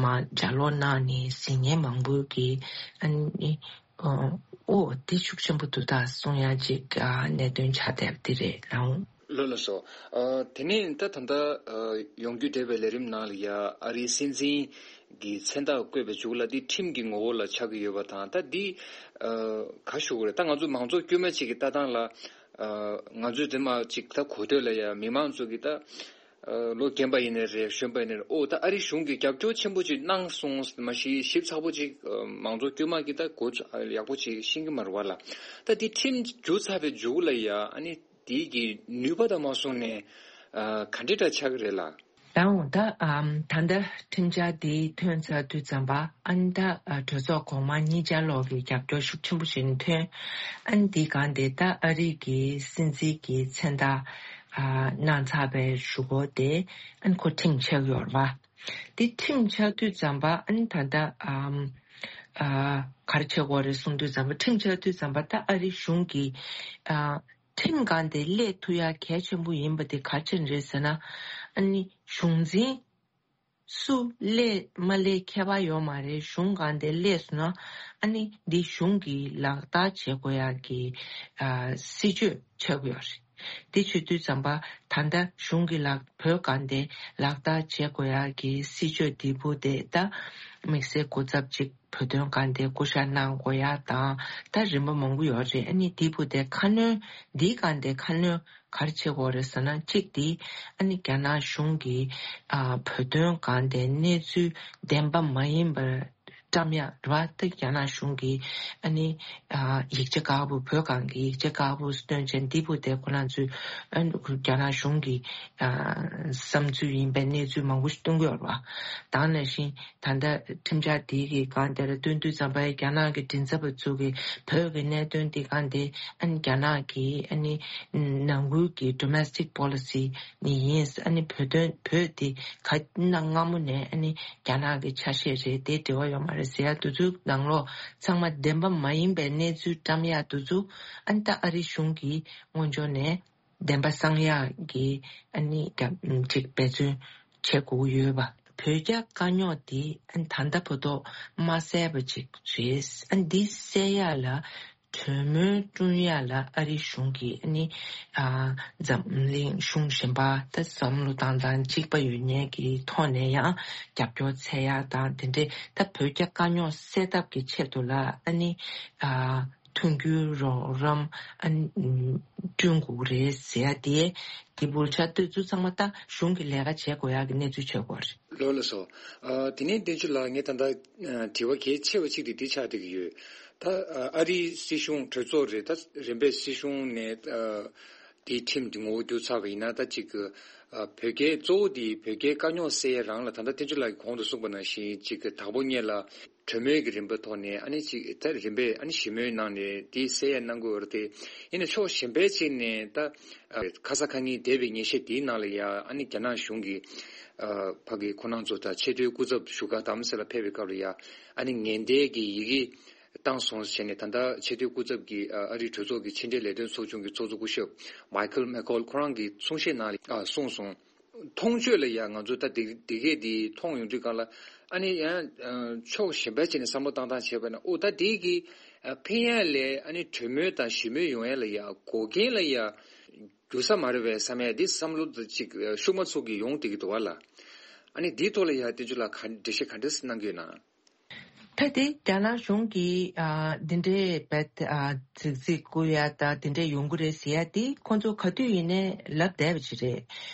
མར་ལྗགས་ཀློག་གནང་ནས་གཟིགས་མཁན་མང་པོ་གིས་ཨ་ནི་ཨོ་དེ་ཤུགས་ཆེན་པོ་འདུག་ད་གསུང་ཡག་ཅིག་ཨ་གནད་དོན་ཆགས་བསྡད་པ་དེ་རེད་ལགས། ལགས་ལགས་སོ། ཨ་དེ་ནས་ད་ད་ལྟ་ཨ་ཡོང་རྒྱུ་འབྲེལ་བའི་ལས་རིམ་ནང་ལ་ཡ་ཨ་རིའི་སྲིད་འཛིན་གྱི་མཚན་རྟགས་བཀོད་པའི་མཇུག་ལ་འདི་ཁྲིམས་ཀྱི་ངོ་བོ་ལ་ཆགས་ཀྱི་ཡོད་པ་དང་ད་འདི་ཨ་ག་ཞུ་དགོས་རེད། ད་ང་ཚོ་མང་ཚོགས་དཀྱུས་མ་ཅིག་གི་ལྟ་སྟངས་ལ་ཨ་ང་ཚོས་དེ་མ་ཅིག་ད་གོ་ཐོས་ལ་ཡ་མི་མང་ཚོ་གི་ད་ཨ་ལོ་རྒན་པ་ཡིན་ནའི་རེད་གཞོན་པ་ཡིན་ནའི་རེད། ཨོ་ད་ཨ་རི་གཞུང་གིས་རྒྱབ་སྐྱོར་ཆེན་པོ་ཅིག་གནང་སོང་མ་གཞི་ཞིབ་ཚགས་པོ་ཅིག་ཨ་མང་ཚོགས་དཀྱུས་མ་གི་ད་གོ་ཚོད་ཡག་པོ་ཅིག་ཤེས་ཀྱི་མ་རེད་བ་ལ། ད་འདི་ཁྲིམས་བསྒྱུར་ཚར་བའི་མཇུག་ལ་ཡ་ཨ་ནི་དེའི་གི་ནུས་པ་དང་མ་སོང་ནས་ཨ་ག་འདྲ་འདྲ་ཆགས་ཀྱི་རེད་ལ། ད་འོ་ད་ཨམ་ད་ལྟ་ཁྲིམས་འཆར་དེ་ཐོན་ཚར་དུས་ཙམ་པ་ཨ་ནི་ད་ཨ་གྲོས་ཚོགས་གོང་མ་གཉིས་ཆར་ལོག་གི་རྒྱབ་སྐྱོར་ཤུགས་ཆེན་པོ་ཞིག་ཐོན། ཨ་ནི་དེའི་སྒང་དེ་ད་ཨ་རི་གི་སྲིད་འཛིན་གྱི་མཚན་རྟགས་ཨ་གནང་ཚར་བའི་གཞུག་གུ་དེ་ཨ་ནི་ཁོ་ཁྲིམས་ཆགས་ཡོད་རེད་པ། དེ་ཁྲིམས་ཆགས་དུས་ཙམ་པ་ཨ་ནི་ད་ལྟ་ཨམ་ཨ་ག་རེ་བྱེད་དགོས་རེད་གསུངས་དུས་ཙམ་པ་ཁྲིམས་ཆགས་དུས་ཙམ་པ་ད་ཨ་རི་གཞུང་གིས་ཨ་ཁྲིམས་སྒང་དེ་སླེབས་ཐུབ་ཡ་གལ་ཆེན་པོ་ཡིན་པ་དེ་ག་རེ་བྱས་ནས་རེད་ཟེར་ན། ཨ་ནི་གཞུང་འཛིན་སུ་སླེབས་མ་སླེབས་ཁྱད་པར་ཡོད་མ་རེད། གཞུང་སྒང་དེ་སླེབས་སོང་ན་ཨ་ནི་འདི་གཞུང་གིས་ལག་བསྟར་བྱེད་དགོས་ཡ་གི་ཨ་སྲིད་བྱུས་ཆགས་ཀྱི་ཡོད་རེད། དེ་བྱེད་དུས་ཙམ་པ་ད་ལྟ་གཞུང་གིས་ལག་བོད་སྒང་དེ་ལག་བསྟར་བྱེད་དགོས་ཡ་གི་སྲིད་བྱུས་འདི་བུ་དེ་ད་དམིགས་བསལ་སྐུ་ཚབ་ཅིག་བོད་དོན་སྒང་དེ་སྐུ་ཞབས་གནང་དགོས་ཡ་དང་ད་རིམ་པ་མང་པོ་ཡོད་རེད། ཨ་ནི་དེ་བུ་དེ་ཁ་སྣོན་འདིའི་སྒང་དེ་ཁ་སྣོན་ག་རེ་བྱེད་དགོས་རེད་ཟེར་ན་གཅིག་དེ་ཨ་ནི་རྒྱ་ནག་གཞུང་གིས་ཨ་བོད་དོན་སྒང་དེ་གནས་ཚུལ་བདེན་པ་མ་ཡིན་པར་བཀྲམ་ཡ་རེད་བ། ད་རྒྱ་ནག་གཞུང་གིས་ཨ་ནི་ཨ་ཡིག་ཆ་ཁག་པོ་བོད་སྒང་གི་ཡིག་ཆ་ཁག་པོ་སྟོན་བྱས་འདི་བུ་དེ་ཁོ་རང་ཚོས་ཨ་ནི་རྒྱ་ནག་གཞུང་གི་ཨ་བསམ་ཚུལ་ཡིན་པའི་གནས་ཚུལ་མང་པོ་ཞིག་སྟོན་གྱི་ཡོད་རེད་བ། ད་ག་ནང་བཞིན་ད་ལྟ་ཁྲིམས་འཆར་དེ་གི་སྒང་དེར་སྟོན་དུས་ཙམ་པ་རྒྱ་ནག་གི་མགྲིན་ཚབ་པ་ཚོ་གིས་བོད་ཀྱི་གནད་དོན་དེ་སྒང་དེ་ཨ་ནི་རྒྱ་ནག་གི་ཨ་ནི་ནང་ཁུལ་གྱི་domestic policy ནི་ཡིན། ཨ་ནི་བོད་དོན་བོད་དེ་ག་གནའ་སྔ་མོ་ནས་ཨ་ནི་རྒྱ་ནག་གི་ཆ་ཤས་རེད། དེ་འབྲེལ་བ་ཡོད་མ་རེད་ཟེར་ཡ་དེ་ཚོའི་ནང་ལོགས་ཚང་མ་བདེན་པ་མ་ཡིན་པའི་གནས་ཚུལ་བཀྲམ་ཡ་དེ་ཚོ་ཨ་ནི་ད་ཨ་རི་གཞུང་གིས་སྔོན་འཇོག་ནས། བདེན་པ་གསང་ཡག་གི་ཨ་ནི་རྒྱབ་ཅིག་འབད་བརྩོན་བྱེད་དགོས་ཀྱི་ཡོད་པ། བོད་རྒྱ་དཀའ་རྙོག་འདི་ཨ་ནི་ད་ལྟ་བར་དུ་མ་སེལ་བ་ཅིག་རེད། ཨ་ནི་འདི་སེལ་ཡག་ལ་གྲོས་མོལ་བསྐྲུན་ཡག་ལ་ཨ་རིའི་གཞུང་གིས་ཨ་ནི་ཨ་འཛམ་གླིང་གཞུང་གཞན་པ་ད་བསམ་བློ་བཏང་སྟངས་གཅིག་པ་ཡོད་མཁན་གྱི་ཐོག་ནས་ཡང་རྒྱབ་སྐྱོར་འཚོལ་ཡག་དང་དེ་འདྲའི་ད་བོད་རྒྱ་དཀའ་རྙོག་སེལ་ཐབས་ཀྱི་ཆེད་དུ་ལ་ཨ་ནི་ཨ་མཐུན་འགྱུར་རོགས་རམ་ཨ་ནི་བསྐྲུན་དགོས་རེད་ཟེར་ཡག་དེ་དེ་བུ་ཆ་དེ་ཚོ་ཚང་མ་ད་གཞུང་གི་ལས་ཀ་བྱེད་དགོས་ཡག་གི་གནས་ཚུལ་ཆགས་ཀྱི་ཡོད་རེད། ལགས་ལགས་སོ། ཨ་དེ་ནས་བསྟན་ཆོས་ལགས། ངས་ད་ལྟ་ཨ་དྲི་བ་གལ་ཆེ་བ་གཅིག་དེ་འདི་ཆགས་བསྡད་ཀྱི་ཡོད། ད་ཨ་ཨ་རིའི་སྲིད་གཞུང་གྲོས་ཚོགས་རེད། ད་རིམ་པས་སྲིད་གཞུང་ནས་ཨ་དེའི་ཁྲིམས་དེ་ངོ་བོ་བསྒྱུར་ཚར་བ་ཡིན་ན། ད་ཅིག་ཨ་བོད་རྒྱའི་གཙོ་བོ་དེ་བོད་རྒྱའི་དཀའ་རྙོག་སེལ་ཡ་རང་ལ། ད་ལྟ་བསྟན་ཆོས་ལགས་ཀྱིས་གོང་དུ་གསུངས་པ་ནང་བཞིན་ཅིག་དང་པོ་ཉིད་ལ་གྲོས་མོལ་གྱི་རིམ་པའི་ཐོག་ནས་ཨ་ནི་ཅིག་ད་རིམ་པས་ཨ་ནི་ཞི་མོལ་གནང་ནས་དེ་སེལ་ཡ་གནང་དགོས་རེད་དེ། ཡིན་ན་ཕྱོགས་གཞན་པའི་ཅིག་ནས་ད་ཨ་ཁ་ས་ཁ་ཉིན་འདས་པའི་ཉིན་ཤས་དེའི་ནང་ལ་ཡ་ཨ་ནི་རྒྱ་ནག་གཞུང་གིས་ཨ་ཕ་གི་ཁོ་རང་ཚོ་ད་ཆེས་མཐོའི་སྐུ་ཚབ་བཞུགས་སྒར་རྡ་རམ་ས་ལ་ཕེབས་པའི་སྐབས་ལ་ཡ་ཨ་ནི་ངན་བསྟན་གྱི་ཡི་གེ་བཏང་སོང་བྱས་ནས། ད་ལྟ་ཆེས་མཐོའི་སྐུ་ཚབ་ཀྱིས་ཨ་ཨ་རིའི་གྲོས་ཚོགས་ཀྱི་ཕྱི་འབྲེལ་ལས་དོན་ཚོགས་ཆུང་གི་ཚོགས་གཙོ་སྐུ་ཞབས་མའི་ཁལ་མེ་ཁོལ་ཁོ་རང་གི་གསུང་བཤད་ནང་ལ་ཨ་གསུངས་སོང་། མཐོང་ཆོས་ལ་ཡ་ང་ཚོ་ད་འདི་འདི་གས་འདི་མཐོང་ཡོང་དུས་སྒང་ལ་ཨ་ནི་ཡང་ཕྱོགས་གཞན་པ་ཅིག་ནས་བསམ་བློ་བཏང་སྟངས་བྱས་པ་ན། ཨོ་ད་འདི་གི་ཕན་ཡ་ལས་ཨ་ནི་གྲོས་མོལ་དང་ཞི་མོལ་ཡོང་ཡ་ལ་ཡ་འགོག་རྐྱེན་ལ་ཡ་རྒྱུ་ས་མ་རེད་པས་བསམ་ཡ་འདི་བསམ་བློ་ཅིག་ཤུགས་མ་ཚུགས་ཀྱི་ཡོང་བསྡད་ཀྱི་འདུག་བ་ལ། ཨ་ནི་འདིའི་ཐོག་ལ་ཡ་བསྟན་ཆོས་ལགས་ག་འགྲེལ་བཤད་ག་འདྲ་གནང་གི་ཡོད་ན། ད་དེ་རྒྱ་ནག་གཞུང་གིས་ཨ་འདི་འདྲའི་བེད་ཨ་རྫིག་རྫིག་བསྐུར་ཡ་ད་འདི་འདྲའི་ཡོང་གི་རེད་ཟེར་ཡ་དེ་ཁོང་ཚོ་ག་དུས་ཡིན་ནའི་ལབ་བསྡད་པ་ཅིག་རེད།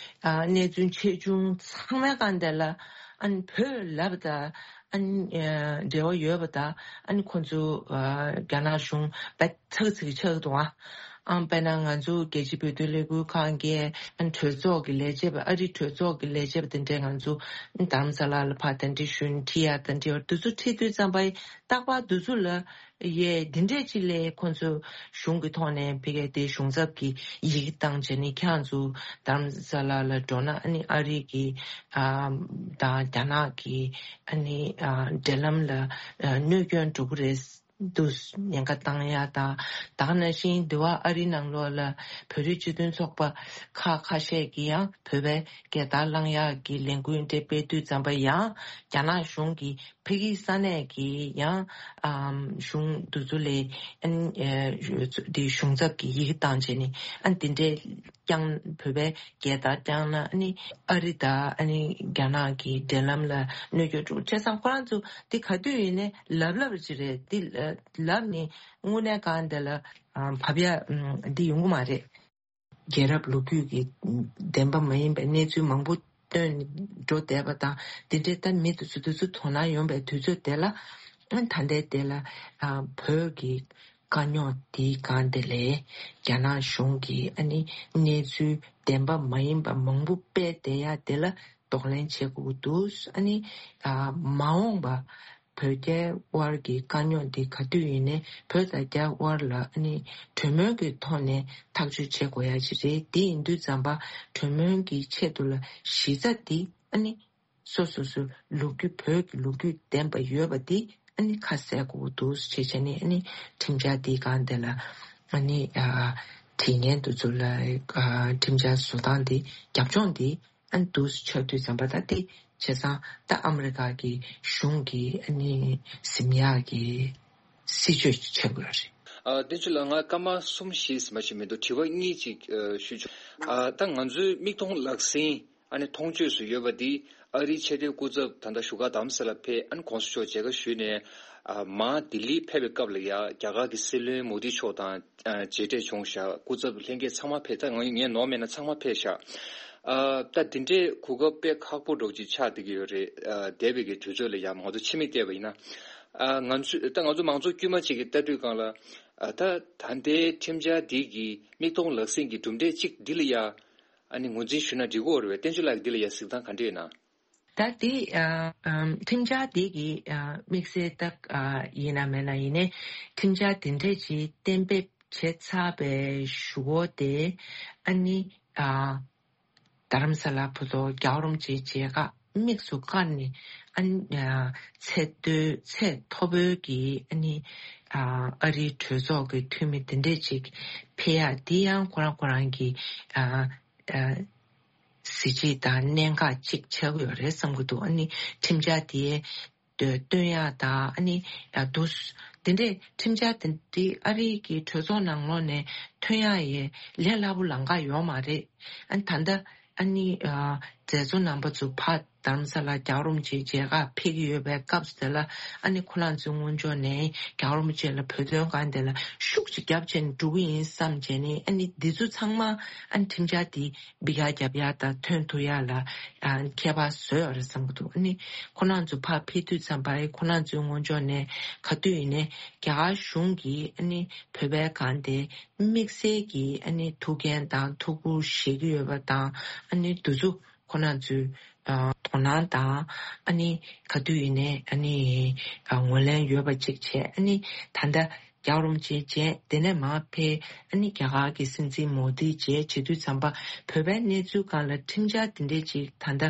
ཨ་གནས་ཚུལ་ཆེ་ཆུང་ཚང་མའི་སྒང་དེ་ལ་ཨ་ནི་བོད་ལབ་ད་ཨ་ནི་ཨ་འབྲེལ་བ་ཡོད་པ་ད་ཨ་ནི་ཁོང་ཚོ་ཨ་རྒྱ་ནག་གཞུང་བེད་ཚག་ཚིག་ཆགས་འདུག་ཨ། ཨང་། དཔེར་ན་ང་ཚོ་རྒྱལ་སྤྱིའི་བོད་དོན་ལས་འགུལ་ཁང་གི་གྲོས་ཚོགས་ཀྱི་ལས་བྱེད་པ། ཨ་རིའི་གྲོས་ཚོགས་ཀྱི་ལས་བྱེད་པ་དེ་འདྲས་ང་ཚོ་རྡ་རམ་ས་ལ་ལ་ཕར་གདན་འདྲེན་ཞུས་ནས་ཁྲིད་ཡ་གདན་འདྲེན་བར་དུས་ཚོད་ཁྲིད་དུས་ཙམ་པ་རྟག་པར་དུས་ཚོད་ལ་ཡས་འདི་འདྲས་ཅིག་ལས་ཁོང་ཚོ་གཞུང་གི་ཐོག་ནས་ཕ་གིའི་དེ་གཞུང་ཚབ་ཀྱི་ཡི་གེ་བཏང་བྱས་ནས་ཁྱེད་རང་ཚོ་རྡ་རམ་ས་ལ་ལ་འགྲོ་ན་ཨ་ནི་ཨ་རི་གི་ཨ་དང་རྒྱ་ནག་གི་ཨ་ནི་ཨ་འབྲེལ་ལམ་ལ་ཨ་གནོད་སྐྱོན་འགྲོ་གི་རེད། དུ་ཉེན་ཁ་བཏང་ཡ་དང་། ད་ག་ནང་བཞིན་འདི་བ་ཨ་རི་ནང་ལོགས་ལ་བོད་རིགས་སྤྱི་མཐུན་ཚོགས་པ་ཁག་ཁ་ཤས་ཀྱིས་ཡང་བོད་པའི་རྒྱལ་དར་བསླང་ཡག་གི་ལས་འགུལ་འདྲ་སྤེལ་དུས་ཙམ་པ་ཡང་རྒྱ་ནག་གཞུང་གིས་ཕ་གི་ས་གནས་ཀྱི་ཡང་ཨམ་གཞུང་འདི་ཚོ་ལ་ཨན་ཨེ་འདི་གཞུང་ཚབ་ཀྱི་ཡི་གེ་བཏང་བྱས་ནས་ཨན་འདི་འདྲའི་བསྐྱངས། བོད་པའི་རྒྱལ་དར་བསྐྱངས་ན་ཨ་ནི་ཨ་རི་དང་ཨ་ནི་རྒྱ་ནག་གི་འབྲེལ་ལམ་ལ་གནོད་སྐྱོན་འགྲོ། བྱས་ཙང་ཁོ་རང་ཚོ་འདི་ག་དུས་ཡིན་ནའི་ལབ་ལབ་ཅིག་རེད། འདི་ལབ་ནི་དངོས་གནས་གང་འདི་ལ་ཨ་བབ་ཡ་ཨམ་འདི་ཡོང་གི་མ་རེད། རྒྱལ་རབས་ལོ་རྒྱུས་ཀྱི་བདེན་པ་མ་ཡིན་པའི་གནས་ཚུལ་མང་པོ་བཏོན་འགྲོ་བསྡད་པ་དང་། འདི་འདྲའི་ད་མི་དེ་ཚོ་དེ་ཚོ་དོ་སྣང་ཡོང་པའི་དུས་ཚོད་དེ་ལ་ཨ་ད་ལྟའི་དེ་ལ་ཨ་བོད་ཀྱི་དཀའ་རྙོག་དེའི་སྒང་དེ་ལས་རྒྱ་ནག་གཞུང་གིས་ཨ་ནི་གནས་ཚུལ་བདེན་པ་མ་ཡིན་པ་མང་པོ་སྤེལ་བསྡད་ཡ་དེ་ལ་གདོང་ལེན་བྱེད་དགོས་ཀྱི་འདུག་ཨ་ནི་ཨ་མ་འོངས་པ་བོད་རྒྱའི་དབར་གྱི་དཀའ་རྙོག་འདི་ག་དུས་ཡིན་ནའི་བོད་དང་རྒྱའི་དབར་ལ་ཨ་ནི་གྲོས་མོལ་གྱི་ཐོག་ནས་ཐག་གཅོད་བྱེད་དགོས་ཡ་ཅིག་རེད། དེ་ཡིན་དུས་ཙམ་པ་གྲོས་མོལ་གྱི་ཆེད་དུ་ལ་གཞི་རྩ་འདི་ཨ་ནི་སོ་སོ་སོའི་ལོ་རྒྱུས། བོད་ཀྱི་ལོ་རྒྱུས་ལྡན་པ་ཡོད་པ་འདི་ཨ་ནི་ཁ་གསལ་དགོས་ཀྱི་འདུག་ཅེས་བྱས་ནས་ཨ་ནི་ཁྲིམས་འཆར་འདིའི་སྒང་དེ་ལ་ཨ་ནི་ཨ་དྲི་མཁན་དེ་ཚོ་ལ་ཨ་ཁྲིམས་འཆར་བཟོ་སྟངས་འདི། རྒྱབ་ལྗོངས་འདི་ཨ་ནི་འདུག་སེ་ཆགས་དུས་ཙམ་པ། ད་དེ་བྱས་ཙང་ད་ཨ་མི་རི་ཀ་གི་གཞུང་གིས་ཨ་ནི་ཟིན་ཡག་གི་སྲིད་བྱུས་ཆགས་དགོས་རེད། ཨ་བསྟན་ཆོས་ལགས། ང་སྐར་མ་གསུམ་བཞི་ཙམ་ཞིག་མི་འདུག་དྲི་བ་གཉིས་ཅིག་ཨ་ཞུ་ཆོག་ཨ་ད་ང་ཚོའི་མིག་མཐོང་ལག་ཟིན་ཨ་ནི་མཐོང་ཆོས་སུ་ཡོད་པ་འདི། ཨ་རིའི་ཆེས་མཐོའི་སྐུ་ཚབ་ད་ལྟ་བཞུགས་སྒར་རྡ་རམ་ས་ལ་ཕེབས། ཨ་ནི་གོང་ས་མཆོག་མཇལ་ཁ་ཞུས་ནས་ཨ་མར་ལྡི་ལི་ཕེབས་པའི་སྐབས་ལ་ཡ་རྒྱ་གར་གྱི་སྲིད་བློན་མོ་དི་མཆོག་དང་ཨ་མཇལ་འཕྲད་བྱུང་ཤག་སྐུ་ཚབ་ལྷན་རྒྱས་ཚང་མ་ཕེབས། ད་ང་ངས་ནོར་མེད་ན་ཚང་མ་ཕེབས་ཤག་ཨ་ད་འདི་འདྲའི་གོ་སྐབས་དཔེ་ཁག་པོ་འདྲ་བོ་ཅིག་ཆགས་བསྡད་ཀྱི་ཡོད་རེད། ཨ་འདས་པའི་གི་དུས་ཚོད་ལ་ཡ་ང་ཚོ་ཕྱི་མིག་བལྟས་པ་ཡིན་ན། ཨ་ང་ཚོ་ད་ང་ཚོ་མང་ཚོགས་དཀྱུས་མ་ཅིག་གིས་ལྟ་དུས་སྒང་ལ། ཨ་ད་ད་ལྟའི་ཁྲིམས་འཆར་འདི་གི་མིག་མཐོང་ལག་ཟིན་གྱི་གྲུབ་འབྲས་གཅིག་འདི་ལ་ཡ་ཨ་ནི་ངོས་འཛིན་ཞུས་ན་འགྲིག་གི་ཡོད་རེད་པས། བསྟན་ཆོས་ལགས་ཀྱིས་འདི་ལ་ཡ་གཟིགས་སྟངས་ག་འདྲ་ཡོད་ན། ད་འདི་ཨ་ཨམ་ཁྲིམས་འཆར་འདི་གི་ཨ་དམིགས་བསལ་ད་ཨ་ཡིན་ན་མེད་ན་ཡིན་ནའི་ཁྲིམས་འཆར་དེ་འདྲས་ཅིག་གཏན་འབེབས་བྱས་ཚར་བའི་གཞུག་གུ་དེ་ཨ་ནི་ཨ་རྡ་རམ་ས་ལ་བར་དུ་རྒྱལ་བ་རིན་པོ་ཆེའི་མཇལ་ཁ་ དམིགས་སུ་བཀར་ནས་ཨ་ནི་ཚད་མཐོའི་ཚད་མཐོ་པོའི་གི་ཨ་ནི་ཨ་རིའི་གྲོས་ཚོགས་ཀྱི་འཐུས་མི་དེ་འདྲས་ཅིག་ཕེབས་ཡ་དེ་ཡང་ཁོ་རང་ཁོ་རང་གི་ཨ་ཨ་གཟི་བརྗིད་དང་གནད་འགག་ཅིག་ཆགས་ཀྱི་ཡོད་རེད་བསམ་གྱི་འདུག་ཨ་ནི་ཁྲིམས་འཆར་དེ་བཏོན་ཡག་དང་ཨ་ནི་ཡག་འདུག་དེ་འདྲས་ཁྲིམས་འཆར་དེ་འདི་ཨ་རི་གི་གྲོས་ཚོགས་ནང་ལོགས་ནས་ཐོན་ཡག་ཡས་ལས་སླ་པོ་ལམ་ཁ་ཡོད་མ་རེད། ཨ་ནི་ད་ལྟ་ཨ་ནི་མཛད་གཙོ་རྣམ་པ་ཚོ་ཕར་རྡ་རམ་ས་ལ་རྒྱལ་བ་རིན་པོ་ཆེའི་མཇལ་ཁ་ཕེབས་ཀྱི་ཡོད་པའི་སྐབས་སུ་དེ་ལ་ཨ་ནི་ཁོ་རང་ཚོའི་སྔོན་ཕྱོགས་ནས་རྒྱལ་བ་རིན་པོ་ཆེ་ལ་བོད་དོན་སྒང་དེ་ལ་ཤུགས་ཅིག་རྒྱབ་བྱས་ནས་འགྲོ་གི་ཡིན་བསམ་བྱས་ནས་ཨ་ནི་འདི་ཚོ་ཚང་མ་ཨ་ནི་ཁྲིམས་འཆར་འདི་འབི་ག་རྒྱབ་ཡག་དང་ཐོན་ཐུབ་ཡག་ལ་ཨ་ཁྱད་པར་བཟོས་ཡོད་རེད་བསམ་གྱི་འདུག་ཨ་ནི་ཁོ་རང་ཚོ་ཕར་ཕེབས་དུས་ཙམ་པ་ཨེ་ཁོ་རང་ཚོའི་སྔོན་ཕྱོགས་ནས་ག་དུས་ཡིན་ནའི་རྒྱ་གར་གཞུང་གིས་ཨ་ནི་བོད་པའི་སྒང་དེ་དམིགས་བསལ་གྱི་ཨ་ནི་ཐུགས་འགན་དང་ཐུགས་ཁུར་བཞེས་ཀྱི་ཡོད་པ་དང་ཨ་ནི་འདི་ཚོ་ཁོ་རང་ཚོའི་ཨ་དོ་སྣང་དང་ཨ་ནི་ག་དུས་ཡིན་ནའི་ཨ་ནི་ཨ་ངོས་ལེན་ཡོད་པ་ཅིག་བྱས། ཨ་ནི་ད་ལྟ་རྒྱལ་བ་རིན་པོ་ཆེ་མཇལ་དེ་ནས་མར་ཕེབས། ཨ་ནི་རྒྱ་གར་གྱི་སྲིད་འཛིན་མོ་དི་མཇལ་བྱེད་དུས་ཙམ་པ་བོད་པའི་གནས་ཚུལ་སྒང་ལ་ཁྲིམས་འཆར་དེ་འདྲས་ཅིག་ད་ལྟ་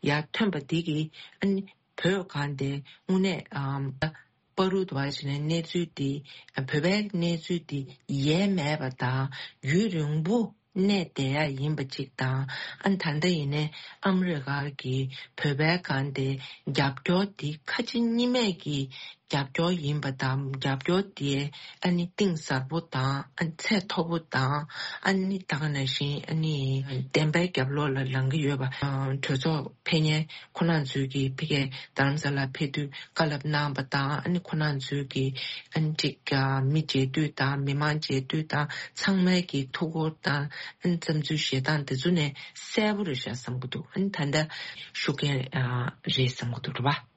ཡར་ཐོན་པ་འདི་གིས་ཨ་ནི་བོད་སྒང་དེ་དངོས་གནས་ཨམ་བར་དུ་བ་ཞིག་ནས་གནས་ཚུལ་འདི་བོད་པའི་གནས་ཚུལ་འདི་ཡལ་མེད་པ་དང་ཡུན་རིང་པོ་གནས་བསྡད་ཡ་ཡིན་པ་གཅིག་དང་ཨ་ནི་ད་ལྟ་ཡིན་ནའི་ཨ་མི་རི་ཀ་གིས་བོད་པའི་སྒང་དེ་རྒྱབ་སྐྱོར་འདི་ཁ་ཕྱི་གཉིས་མེད་ཀྱི་རྒྱབ་སྐྱོར་ཡིན་པ་དང་རྒྱབ་སྐྱོར་དེ་ཨ་ནི་གཏིང་ཟབ་པོ་དང་ཨ་ནི་ཚད་མཐོ་པོ་དང་ཨ་ནི་ད་ག་ནང་བཞིན་ཨ་ནི་བདེན་པའི་རྒྱབ་ལོགས་ལ་ལངས་ཀྱི་ཡོད་པ། གྲོས་ཚོགས་ཕེབས་མཁན་ཁོ་རང་ཚོས་ཀྱི་ཕ་གིའི་རྡ་རམ་ས་ལ་ཕེབས་དུས་བཀའ་སློབ་གནང་བ་དང་ཨ་ནི་ཁོ་རང་ཚོས་ཀྱི་ཨ་ནི་ཅིག་མི་མཇལ་དུས་དང་མི་མང་མཇལ་དུས་དང་ཚང་མའི་ཀྱི་ཐུགས་ཁུར་དང་ཨ་ནི་བསམ་ཚུལ་བཞེས་སྟངས་དེ་ཚོ་ནས་གསལ་པོ་རེད་ཤག་བསམ་གྱི་འདུག་ཨ་ནི་ད་ལྟ་ཤུགས་རྐྱེན་རེད་བསམ་གྱི་འདུག་རེད་པ།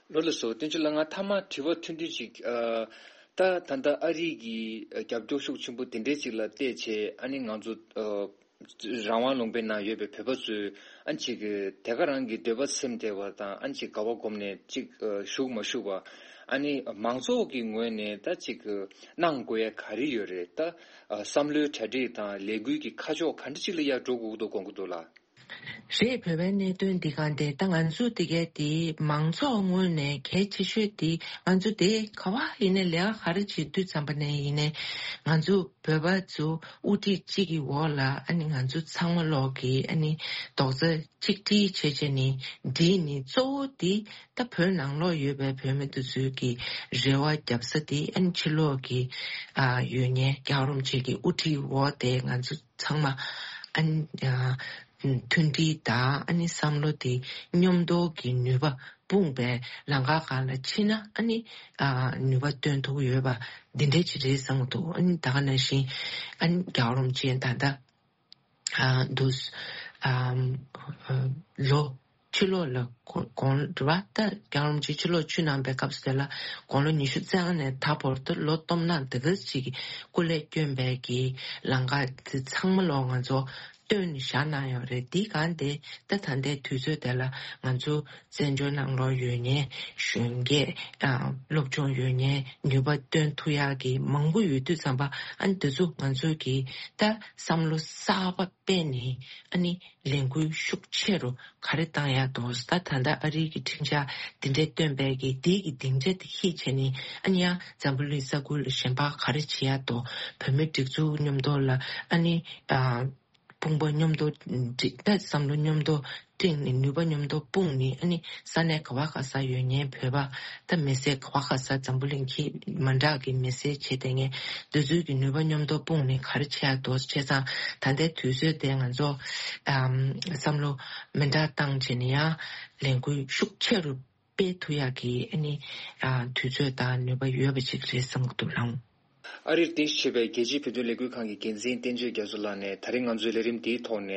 ལགས་སོ། བསྟན་ཆོས་ལགས། ང་མཐའ་མ་དྲི་བ་ཐུང་ཐུང་ཅིག་ཨ། ད་ད་ལྟ་ཨ་རི་གི་རྒྱབ་སྐྱོར་ཤུགས་ཆེན་པོ་དེ་འདྲའི་ཅིག་ལ་བལྟས་བྱས་ཨ་ནི་ང་ཚོ་ཨ། རང་དབང་ལུང་པའི་ནང་ཡོད་པའི་བོད་པ་ཚོས་ཨ་ནི་ཅིག་དེ་ག་རང་གི་འདོད་པ་སེམས་བདེ་བ་དང་ཨ་ནི་ཅིག་དགའ་བ་སྒོམ་ནས་ཅིག་ཨ། བཞུགས་མ་བཞུགས་པ། ཨ་ནི་མང་ཚོགས་ཀྱི་ངོས་ནས་ད་ཅིག་གནང་དགོས་ཡ་ག་རེ་ཡོད་རེད། ད་ཨ། བསམ་བློའི་གྲ་སྒྲིག་དང་ལས་འགུལ་གྱི་ཁ་ཕྱོགས་ག་འདྲ་ཅིག་ལ་ཡར་འགྲོ་དགོས་འདུག་དགོངས་ཀྱི་འདུག་ལགས། རེད། བོད་པའི་གནད་དོན་འདི་གང་དེ་ད་ང་ཚོ་འདི་གའི་དེ་མང་ཚོགས་ངོས་ནས་གལ་ཆེ་ཤོས་དེ་ང་ཚོ་དེ་ག་བ་ཡིན་ནའི་ལས་ཀ་ག་རེ་བྱེད་དུས་ཙམ་པ་ནས་ཡིན་ནའི་ང་ཚོ་བོད་པ་ཚོ་དབུ་ཁྲིད་གཅིག་གི་འོག་ལ་ཨ་ནི་ང་ཚོ་ཚང་མ་ལོག་གི་ཨ་ནི་རྡོག་རྩ་གཅིག་སྒྲིལ་བྱས་བྱས་ནས་འདི་ནི་གཙོ་བོ་དེ་ད་བོད་ནང་ལོགས་ཡོད་པའི་བོད་མི་དེ་ཚོའི་གི་རེ་བ་རྒྱབ་ས་དེ་ཨ་ནི་ཕྱི་ལོགས་གི་ཨ་ཡོད་མཁན་རྒྱལ་བ་རིན་པོ་ཆེ་གི་དབུ་ཁྲིད་འོག་དེ་ང་ཚོ་ཚང་མ་ཨ་ནི་ཨ་མཐུན་སྒྲིལ་དང་ཨ་ནི་བསམ་བློ་དེ་མཉམ་དུ་གི་ནུས་པ་སྤུངས་པའི་ལམ་ཁ་སྒང་ལ་ཕྱིན་ན་ཨ་ནི་ཨ་ནུས་པ་སྟོན་ཐུབ་ཡོད་པ་འདི་འདྲ་ཅིག་རེད་བསམ་གྱི་འདུག་ཨ་ནི་ད་ག་ནང་བཞིན་ཨ་ནི་རྒྱལ་བ་རིན་པོ་ཆེ་ད་ལྟ་ཨ་འདུག་ཨ་ལོ་ཕྱི་ལོགས་ལ་དགུང་དགུང་ལོ་རེད་བ། ད་རྒྱལ་བ་རིན་པོ་ཆེ་ཕྱི་ལོགས་ཆོས་གནང་པའི་སྐབས་སུ་དེ་ལ་དགུང་ལོ་ཉི་ཤུ་རྩ་ལྔ་ནས་ད་བར་དུ་ལོ་སྟོང་ཕྲག་འདི་ག་ཅིག་གི་སྐུ་ལས་བསྐྱོན་པའི་གི་ལམ་ཁ་དེ་ཚང་མ་ལོག་ང་ཚོ་སྟོན་བཞག་གནང་ཡོད་རེད། འདི་གང་དེ་ད་ད་ལྟའི་དུས་ཚོད་དེ་ལ་ང་ཚོ་བཙན་བྱོལ་ནང་ལོགས་ཡོད་མཁན་གཞོན་སྐྱེས་ཨ་སློབ་སྦྱོང་ཡོད་མཁན་ནུས་པ་བཏོན་ཐུབ་ཡག་གི་མང་པོ་ཡོད་དུས་ཙམ་པ་ཨ་ནི་དེ་ཚོ་ང་ཚོ་གི་ད་བསམ་བློ་གསར་པ་སྤེལ་ནས་ཨ་ནི་ལས་འགུལ་ཤུགས་ཆེ་རུ་ག་རེ་བཏང་ཡག་འདུག་ད་ད་ལྟ་ཨ་རིའི་གི་ཁྲིམས་འཆར་འདི་འདྲའི་བཏོན་པའི་གི་འདི་གི་སྡིངས་ཆ་དེ་ཤེས་བྱས་ནས་ཨ་ནི་ཡང་འཛམ་བུ་གླིང་ས་ཁུལ་ལ་གཞན་པ་ག་རེ་བྱེད་ཡག་འདུག་བོད་མི་སྒྲིག་འཛུགས་མཉམ་དུ་ལ་ཨ་ནི་ཨ། དཔུང་པ་མཉམ་དུ་སྒྲིག་ད་བསམ་བློ་མཉམ་དུ་སྒྲིག་ནས་ནུས་པ་མཉམ་དུ་སྤུངས་ནས་ཨ་ནི་ས་གནས་ག་བ་ག་ས་ཡོད་མཁན་བོད་པ་ད་མི་སེར་ག་བ་ག་ས་འཛམ་བུ་གླིང་གི་མི་འདྲ་གི་མི་སེར་བྱེད་བསྡད་མཁན་འདི་ཚོའི་གི་ནུས་པ་མཉམ་དུ་སྤུངས་ནས་ག་རེ་བྱེད་ཡག་འདུག་བྱས་ཙང་ད་ལྟའི་དུས་ཚོད་དེ་ང་ཚོ་ཨམ་བསམ་བློ་མི་འདྲ་བཏང་བྱས་ནས་ཡང་ལས་འགུལ་ཤུགས་ཆེ་རུ་སྤེལ་ཐུབ་ཡག་གི་ཨ་ནི་ཨ་དུས་ཚོད་དང་ནུས་པ་ཡོད་པ་ཅིག་རེད་བསམ་གྱི་འདུག་ལགས། ཨ་རིར་རྟེན་གཞི་བྱས་པའི་རྒྱལ་སྤྱིའི་བོད་དོན་ལས་འགུལ་ཁང་གི་འགན་འཛིན་བསྟན་ཆོས་རྒྱ་མཚོ་ལགས་ནས་ད་རེས་ང་ཚོའི་ལས་རིམ་འདིའི་ཐོག་ནས་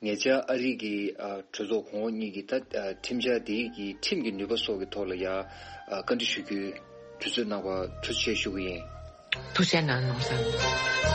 ཉེ་ཆར་ཨ་རི་གི་ཨ་གྲོས་ཚོགས་གོང་འོག་གཉིས་ཀྱི་ད་ཨ་ཁྲིམས་འཆར་འདིའི་གི་ཁྲིམས་ཀྱི་ནུས་པ་སོགས་ཀྱི་ཐོག་ལ་ཡ་ཨ་བཀའ་འདྲི་ཞུ་རྒྱུའི་དུས་ཚོད་གནང་བར་ཐུགས་རྗེ་ཆེ་ཞུ་གི་ཡིན། ཐུགས་རྗེ་གནང་། ནོར་བཟང་།